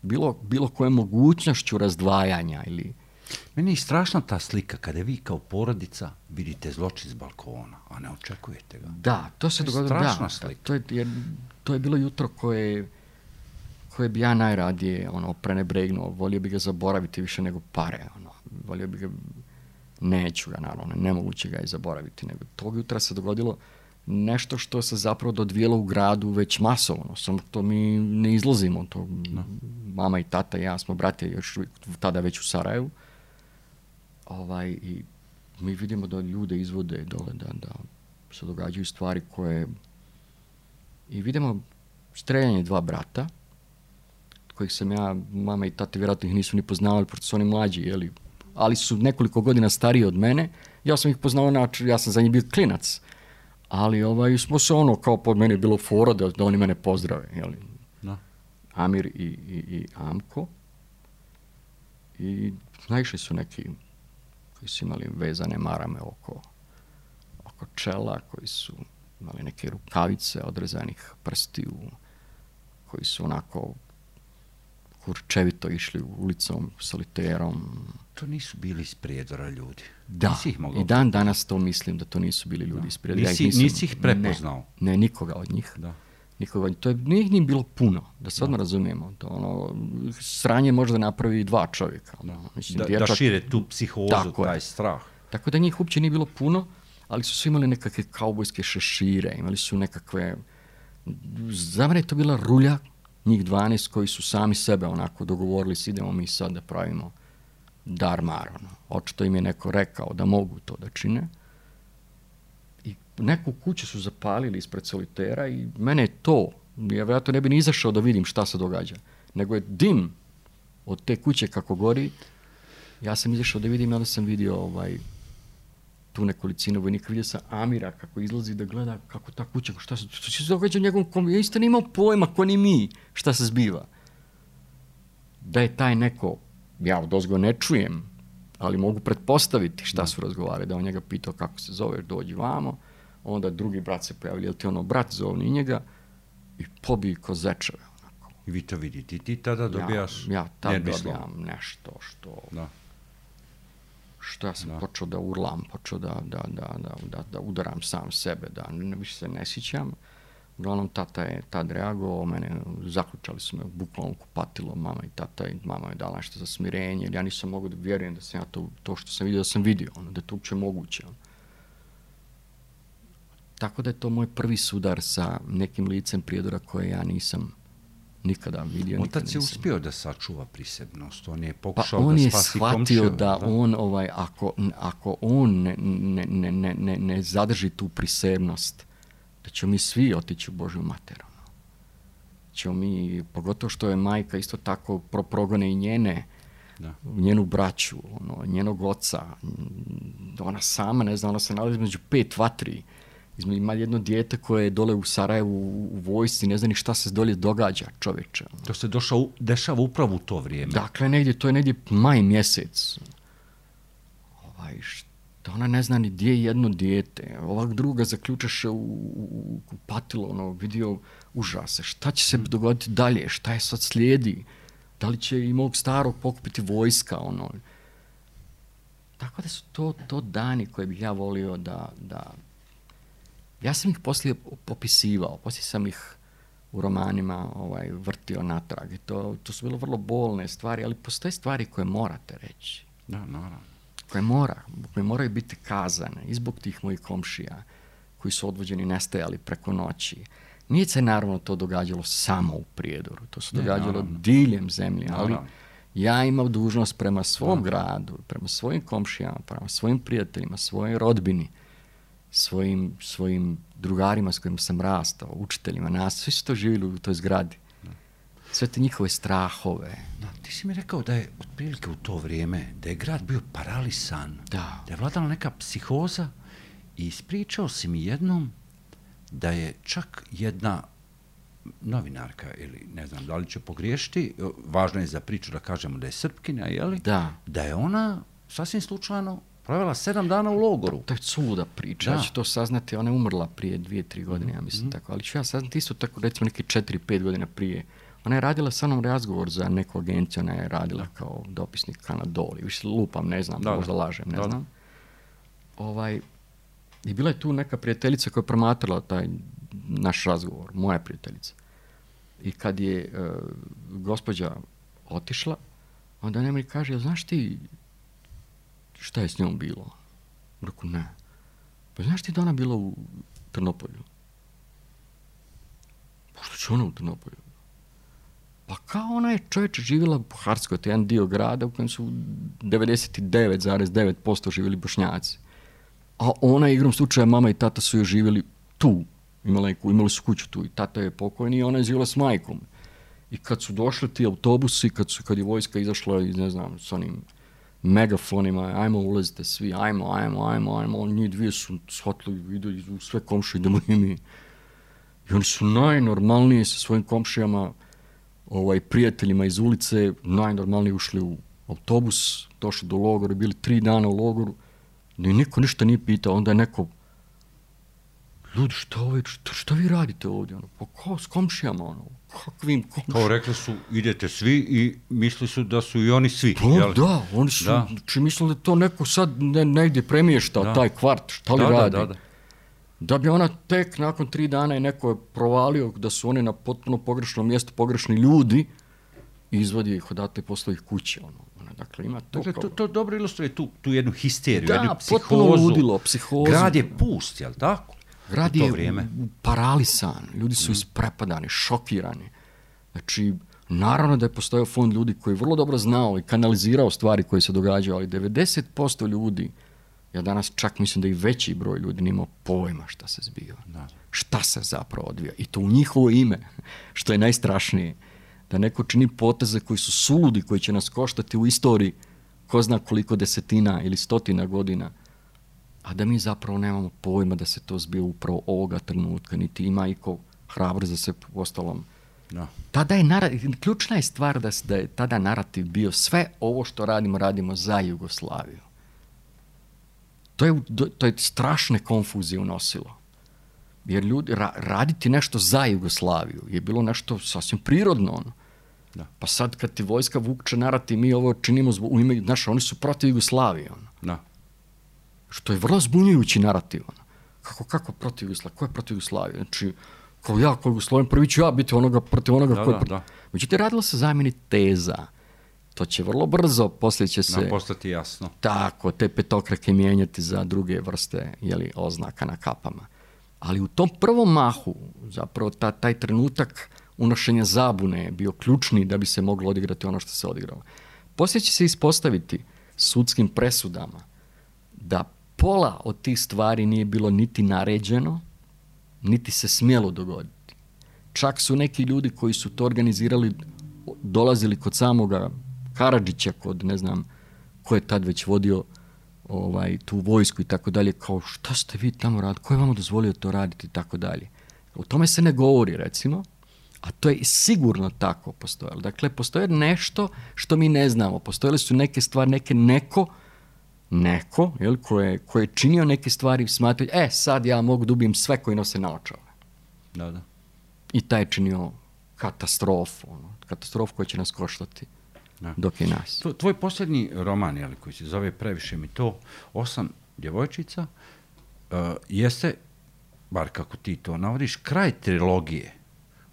Speaker 2: bilo, bilo kojom mogućnošću razdvajanja ili...
Speaker 1: Meni je strašna ta slika kada vi kao porodica vidite zločin s balkona, a ne očekujete ga.
Speaker 2: Da, to se
Speaker 1: To je
Speaker 2: dogodilo.
Speaker 1: strašna
Speaker 2: Da,
Speaker 1: slika.
Speaker 2: to je, jer, to je bilo jutro koje, koje bi ja najradije ono, prenebregnuo. Volio bi ga zaboraviti više nego pare. Ono. Volio bi ga, neću ga naravno, nemoguće ga je zaboraviti. Nego tog jutra se dogodilo nešto što se zapravo dodvijelo u gradu već masovno. Samo to mi ne izlazimo. To,
Speaker 1: no.
Speaker 2: Mama i tata i ja smo brate još tada već u Sarajevu. Ovaj, i mi vidimo da ljude izvode dole, da, da se događaju stvari koje... I vidimo streljanje dva brata, kojih sam ja, mama i tata vjerojatno ih nisu ni poznavali, pošto su oni mlađi, jeli, ali su nekoliko godina stariji od mene. Ja sam ih poznao, znači, ja sam za njih bio klinac. Ali ovaj, smo se ono, kao pod mene je bilo fora da, da oni mene pozdrave, jeli.
Speaker 1: No.
Speaker 2: Amir i, i, i Amko. I naišli su neki koji su imali vezane marame oko, oko čela, koji su imali neke rukavice odrezanih prstiju, koji su onako kurčevito išli ulicom, soliterom.
Speaker 1: To nisu bili iz Prijedora ljudi.
Speaker 2: Da, i dan danas to mislim da to nisu bili ljudi
Speaker 1: da.
Speaker 2: iz Prijedora.
Speaker 1: Nisi,
Speaker 2: ja nisam,
Speaker 1: nisi ih prepoznao?
Speaker 2: Ne, ne, nikoga od njih.
Speaker 1: Da.
Speaker 2: Nikoga od njih. To je, nije njim bilo puno, da se odmah razumijemo. To, ono, sranje možda napravi dva čovjeka. Ono, mislim,
Speaker 1: da,
Speaker 2: dječak,
Speaker 1: da šire tu psihozu, taj je. strah.
Speaker 2: Tako da njih uopće nije bilo puno, ali su svi imali nekakve kaubojske šešire, imali su nekakve... Za mene je to bila rulja, njih dvanaest koji su sami sebe onako dogovorili, idemo mi sad da pravimo dar-mar. Ono. Očito im je neko rekao da mogu to da čine. I neku kuću su zapalili ispred solitera i mene je to, ja vjerojatno ne bi ni izašao da vidim šta se događa, nego je dim od te kuće kako gori. Ja sam izašao da vidim, onda sam vidio ovaj, tu nekolicinu vojnika, vidio sam Amira kako izlazi da gleda kako ta kuća, šta se, šta se događa u njegovom kom... Ja isto ne imao pojma, ko ni mi, šta se zbiva. Da je taj neko, ja odozgo ne čujem, ali mogu pretpostaviti šta su razgovarali, da on njega pitao kako se zove, dođi vamo, onda drugi brat se pojavili, jel ti ono brat zovni njega i pobiji ko zečeve. Onako.
Speaker 1: I vi to vidite, ti tada dobijaš
Speaker 2: Ja, ja tada
Speaker 1: nervislom.
Speaker 2: dobijam nešto što...
Speaker 1: Da.
Speaker 2: što ja sam
Speaker 1: da.
Speaker 2: počeo da urlam, počeo da, da, da, da, da, da udaram sam sebe, da ne, više se ne sjećam. Uglavnom, tata je tad reagovao, mene zaključali su me bukvalno kupatilo, mama i tata, i mama je dala nešto za smirenje, jer ja nisam mogao da vjerujem da sam ja to, to što sam vidio, da sam vidio, ono, da je to uopće moguće. Ono. Tako da je to moj prvi sudar sa nekim licem Prijedora koje ja nisam nikada vidio.
Speaker 1: Otac
Speaker 2: nikada
Speaker 1: je
Speaker 2: nisam.
Speaker 1: uspio da sačuva prisebnost, on je
Speaker 2: Pa
Speaker 1: pokušao
Speaker 2: on
Speaker 1: da
Speaker 2: je
Speaker 1: spasi
Speaker 2: shvatio
Speaker 1: komšiju.
Speaker 2: da, da on, ovaj, ako, ako on ne, ne, ne, ne, ne, ne zadrži tu prisebnost, da ćemo mi svi otići u Božju materu. Ćemo mi, pogotovo što je majka isto tako pro, progone i njene,
Speaker 1: da.
Speaker 2: njenu braću, ono, njenog oca. Ona sama, ne znam, ona se nalazi među pet vatri. Ima jedno dijete koje je dole u Sarajevu u vojsci, ne zna ni šta se dolje događa, čoveče.
Speaker 1: To se došao, dešava upravo u to vrijeme.
Speaker 2: Dakle, negdje, to je negdje maj mjesec. Ovaj, šta, ona ne zna ni gdje je jedno dijete. Ovak druga zaključaše u, u, u patilo, ono, vidio užase. Šta će se dogoditi dalje? Šta je sad slijedi? Da li će i mog starog pokupiti vojska, ono. Tako da su to, to dani koje bih ja volio da... da ja sam ih poslije popisivao, poslije sam ih u romanima ovaj, vrtio natrag i to, to su bilo vrlo bolne stvari, ali postoje stvari koje morate reći.
Speaker 1: Da, naravno.
Speaker 2: Koje, mora, koje moraju biti kazane i zbog tih mojih komšija koji su odvođeni, nestajali preko noći. Nije se naravno to događalo samo u Prijedoru, to se događalo
Speaker 1: naravno.
Speaker 2: diljem zemlje, ali
Speaker 1: naravno.
Speaker 2: ja imam dužnost prema svom
Speaker 1: naravno.
Speaker 2: gradu, prema svojim komšijama, prema svojim prijateljima, svojoj rodbini, svojim, svojim drugarima s kojima sam rastao, učiteljima, nas, svi su to živjeli u toj zgradi. Da. Sve te njihove strahove.
Speaker 1: Da, ti si mi rekao da je otprilike u to vrijeme, da je grad bio paralisan,
Speaker 2: da,
Speaker 1: da je vladala neka psihoza i ispričao si mi jednom da je čak jedna novinarka, ili ne znam da li će pogriješiti, važno je za priču da kažemo da je Srpkinja, jeli?
Speaker 2: Da.
Speaker 1: Da je ona sasvim slučajno provela sedam dana u logoru.
Speaker 2: To je cuda priča,
Speaker 1: da.
Speaker 2: Ja ću to saznati, ona je umrla prije dvije, tri godine, ja mislim, mm-hmm. tako, ali ću ja saznati isto tako, recimo neke četiri, pet godina prije Ona je radila sa mnom razgovor za neku agenciju, ona je radila kao dopisnik Kanadoli, više lupam, ne znam, da, možda lažem, ne da, znam. Ovaj, i bila je tu neka prijateljica koja je promatrala taj naš razgovor, moja prijateljica. I kad je uh, gospođa otišla, onda ona mi kaže, znaš ti šta je s njom bilo? Rekao, ne. Pa znaš ti da ona bila u Trnopolju? Pa što će ona u Trnopolju? Pa kao ona je čovječe živjela u Buharskoj, to je jedan dio grada u kojem su devedeset devet zarez devet posto živjeli Bošnjaci. A ona, igrom slučaja, mama i tata su joj živjeli tu. Imali, imali su kuću tu i tata je pokojni i ona je živjela s majkom. I kad su došli ti autobusi, kad, su, kad je vojska izašla iz, ne znam, s onim megafonima, ajmo ulazite svi, ajmo, ajmo, ajmo, ajmo, njih dvije su shvatili, idu u sve komšije, idemo i mi. I oni su najnormalniji sa svojim komšijama, ovaj, prijateljima iz ulice, najnormalnije ušli u autobus, došli do logora, bili tri dana u logoru, i niko ništa nije pitao, onda je neko, ljudi, šta, ovaj, šta, šta vi radite ovdje? Ono, pa kao s komšijama, ono, kakvim komšijama?
Speaker 1: Kao rekli su, idete svi i mislili su da su i oni svi.
Speaker 2: Pa, jel? Da, oni su, da. Či mislili da to neko sad ne, negdje premješta, da. Taj kvart, šta li da, radi? Da, da, da. Da bi ona tek nakon tri dana i neko je provalio da su oni na potpuno pogrešnom mjestu, pogrešni ljudi, izvadi ih odatle posle ih kuće, ono. Dakle, ima to,
Speaker 1: dakle, to, to dobro ilustruje tu, tu jednu histeriju,
Speaker 2: da,
Speaker 1: jednu psihozu.
Speaker 2: Da, potpuno ludilo, psihozu.
Speaker 1: Grad je pust, jel tako?
Speaker 2: Grad je vrijeme. Paralisan, ljudi su mm. isprepadani, šokirani. Znači, naravno da je postojao fond ljudi koji je vrlo dobro znao i kanalizirao stvari koje se događaju, ali devedeset posto ljudi, ja danas čak mislim da i veći broj ljudi nimao pojma šta se zbiva. Da. Šta se zapravo odvija. I to u njihovo ime, što je najstrašnije. Da neko čini poteze koji su suludi, koji će nas koštati u istoriji ko zna koliko desetina ili stotina godina, a da mi zapravo nemamo pojma da se to zbio upravo ovoga trenutka, niti ima iko hrabro za se ostalom. No. Tada je narativ, ključna je stvar da, da je tada narativ bio sve ovo što radimo, radimo za Jugoslaviju. To je, to je strašne konfuzije unosilo. Jer ljudi, ra, raditi nešto za Jugoslaviju je bilo nešto sasvim prirodno. Ono. Da. Pa sad kad ti vojska vukče narativ, mi ovo činimo zbog, u ime, znaš, oni su protiv Jugoslavije. Ono. Da. Što je vrlo zbunjujući narativ. Ono. Kako, kako protiv Jugoslavije? Ko je protiv Jugoslavije? Znači, kao ja, kao Jugoslavije, prvi ću ja biti onoga protiv onoga da, ko je protiv. Međutim, radilo se zamjeni teza. To će vrlo brzo, poslije će se...
Speaker 1: Da, postati jasno.
Speaker 2: Tako, te petokrake mijenjati za druge vrste, jeli, oznaka na kapama. Ali u tom prvom mahu, zapravo ta, taj trenutak unošenja zabune je bio ključni da bi se moglo odigrati ono što se odigralo. Poslije će se ispostaviti sudskim presudama da pola od tih stvari nije bilo niti naređeno, niti se smjelo dogoditi. Čak su neki ljudi koji su to organizirali dolazili kod samoga Karadžića, kod ne znam ko je tad već vodio ovaj, tu vojsku i tako dalje, kao šta ste vi tamo radili, ko je vam dozvolio to raditi i tako dalje. O tome se ne govori, recimo, a to je sigurno tako postojalo. Dakle, postoje nešto što mi ne znamo. Postojale su neke stvari, neke neko, neko, jel, ko je, ko je činio neke stvari, smatraju, e, sad ja mogu da ubijem sve koji nose naočale.
Speaker 1: Da, da.
Speaker 2: I taj je činio katastrofu, ono, katastrofu koja će nas koštati. Da. Dok je nas.
Speaker 1: Tvoj posljednji roman, jel, koji se zove Previše mi to, Osam djevojčica, uh, jeste, bar kako ti to navodiš, kraj trilogije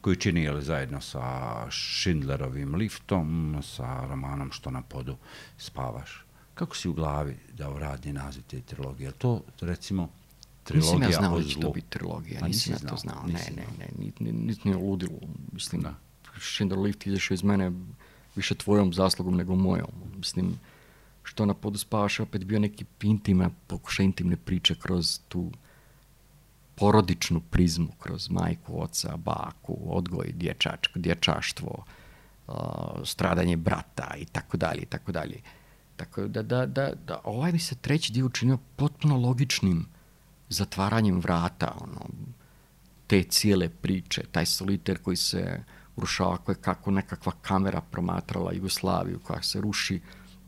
Speaker 1: koju čini, jel, zajedno sa Schindlerovim liftom, sa romanom Što na podu spavaš. Kako si u glavi dao radni naziv te trilogije? Je to, recimo, trilogija
Speaker 2: nisam ja znao
Speaker 1: o
Speaker 2: da će to biti trilogija,
Speaker 1: A,
Speaker 2: nisam ja
Speaker 1: znao,
Speaker 2: to znao.
Speaker 1: Ne,
Speaker 2: ne, ne, ne, niti ne ludilo. Mislim, da. Schindler lift izašao iz mene više tvojom zaslugom nego mojom. Mislim, Što na podu spavaš opet bio neki intima, pokušaj intimne priče kroz tu porodičnu prizmu, kroz majku, oca, baku, odgoj, dječačko, dječaštvo, uh, stradanje brata i tako dalje, i tako dalje. Tako da, da, da, da ovaj bi se treći dio učinio potpuno logičnim zatvaranjem vrata, ono, te cijele priče, taj soliter koji se urušava, koje kako nekakva kamera promatrala Jugoslaviju koja se ruši,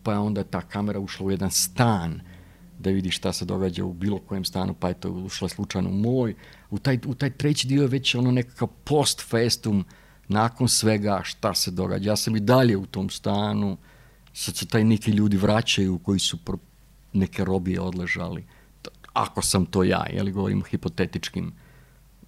Speaker 2: pa je onda ta kamera ušla u jedan stan da vidi šta se događa u bilo kojem stanu, pa je to ušla slučajno u moj. U taj, u taj treći dio je već ono nekakav post festum nakon svega šta se događa. Ja sam i dalje u tom stanu, sad se taj neki ljudi vraćaju koji su pro, neke robije odležali. Ako sam to ja, jel govorim hipotetičkim,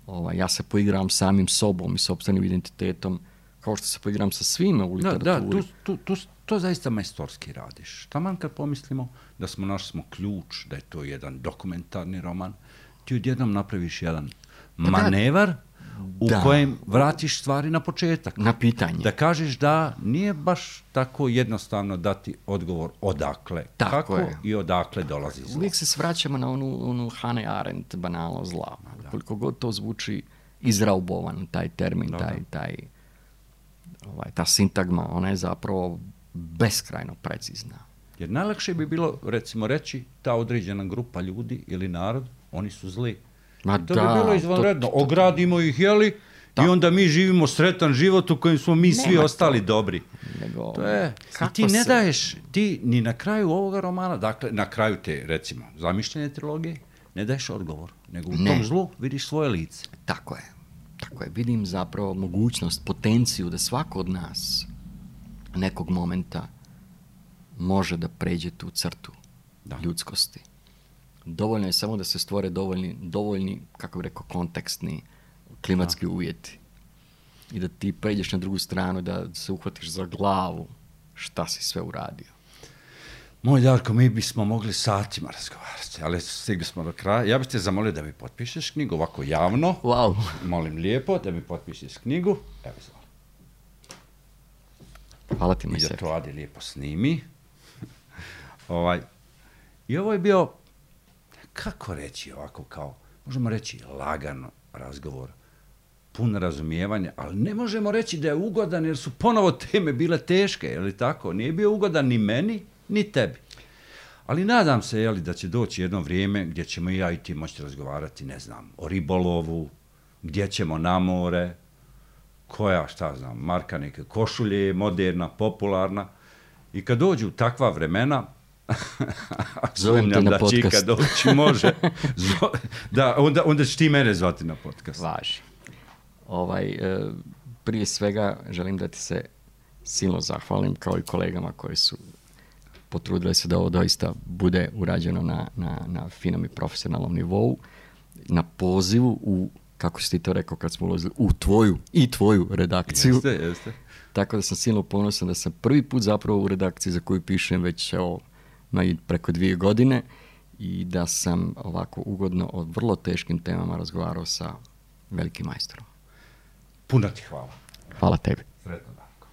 Speaker 2: ovaj, ja se poigram samim sobom i sopstvenim identitetom, kao što se poigram sa svime u literaturi.
Speaker 1: Da, da, tu, tu, tu, to zaista majstorski radiš. Taman kad pomislimo da smo našli smo ključ, da je to jedan dokumentarni roman, ti odjednom napraviš jedan manevar u da. kojem vratiš stvari na početak.
Speaker 2: Na pitanje.
Speaker 1: Da kažeš da nije baš tako jednostavno dati odgovor odakle,
Speaker 2: tako
Speaker 1: kako
Speaker 2: je.
Speaker 1: I odakle dolazi zlo.
Speaker 2: Uvijek se svraćamo na onu, onu Hannah Arendt banalno zla. Da. Koliko god to zvuči izraubovan, taj termin, da, taj, taj, ovaj, ta sintagma, ona je zapravo beskrajno precizna.
Speaker 1: Jer najlakše bi bilo, recimo, reći ta određena grupa ljudi ili narod, oni su zli.
Speaker 2: Ma
Speaker 1: to
Speaker 2: da,
Speaker 1: bi bilo izvanredno. To, to, to. Ogradimo ih, jeli, da. I onda mi živimo sretan život u kojem smo mi svi Nema ostali to. dobri.
Speaker 2: Nego,
Speaker 1: to je, ti ne se... daješ, ti ni na kraju ovoga romana, dakle, na kraju te, recimo, zamišljene trilogije, ne daješ odgovor, nego u ne. tom zlu vidiš svoje lice.
Speaker 2: Tako je. Tako je. Vidim zapravo mogućnost, potenciju da svako od nas nekog momenta može da pređe tu crtu da. ljudskosti. Dovoljno je samo da se stvore dovoljni, dovoljni kako bih rekao, kontekstni, klimatski da. uvjeti. I da ti pređeš na drugu stranu, da se uhvatiš za glavu šta si sve uradio.
Speaker 1: Moj Darko, mi bismo mogli satima razgovarati, ali stigli smo do kraja. Ja bih te zamolio da mi potpišeš knjigu ovako javno.
Speaker 2: Wow.
Speaker 1: Molim lijepo da mi potpišeš knjigu. Evo izvoli.
Speaker 2: Hvala ti, moj
Speaker 1: I da to Adi lijepo snimi. ovaj. I ovo je bio, kako reći ovako kao, možemo reći lagan razgovor, pun razumijevanja, ali ne možemo reći da je ugodan jer su ponovo teme bile teške, je li tako? Nije bio ugodan ni meni, ni tebi. Ali nadam se, jeli, da će doći jedno vrijeme gdje ćemo i ja i ti moći razgovarati, ne znam, o ribolovu, gdje ćemo na more, koja, šta znam, marka neke košulje, moderna, popularna. I kad dođu takva vremena,
Speaker 2: zovem te na podcast.
Speaker 1: Da čika doći može, da, onda, onda će ti mene zvati na podcast.
Speaker 2: Važi. Ovaj, e, prije svega želim da ti se silno zahvalim, kao i kolegama koji su potrudili se da ovo doista bude urađeno na, na, na finom i profesionalnom nivou, na pozivu u, kako si ti to rekao kad smo ulazili, u tvoju i tvoju redakciju.
Speaker 1: Jeste, jeste.
Speaker 2: Tako da sam silno ponosan da sam prvi put zapravo u redakciji za koju pišem već evo, preko dvije godine i da sam ovako ugodno o vrlo teškim temama razgovarao sa velikim majstorom.
Speaker 1: Puno ti hvala.
Speaker 2: Hvala tebi.
Speaker 1: Sretno, Darko.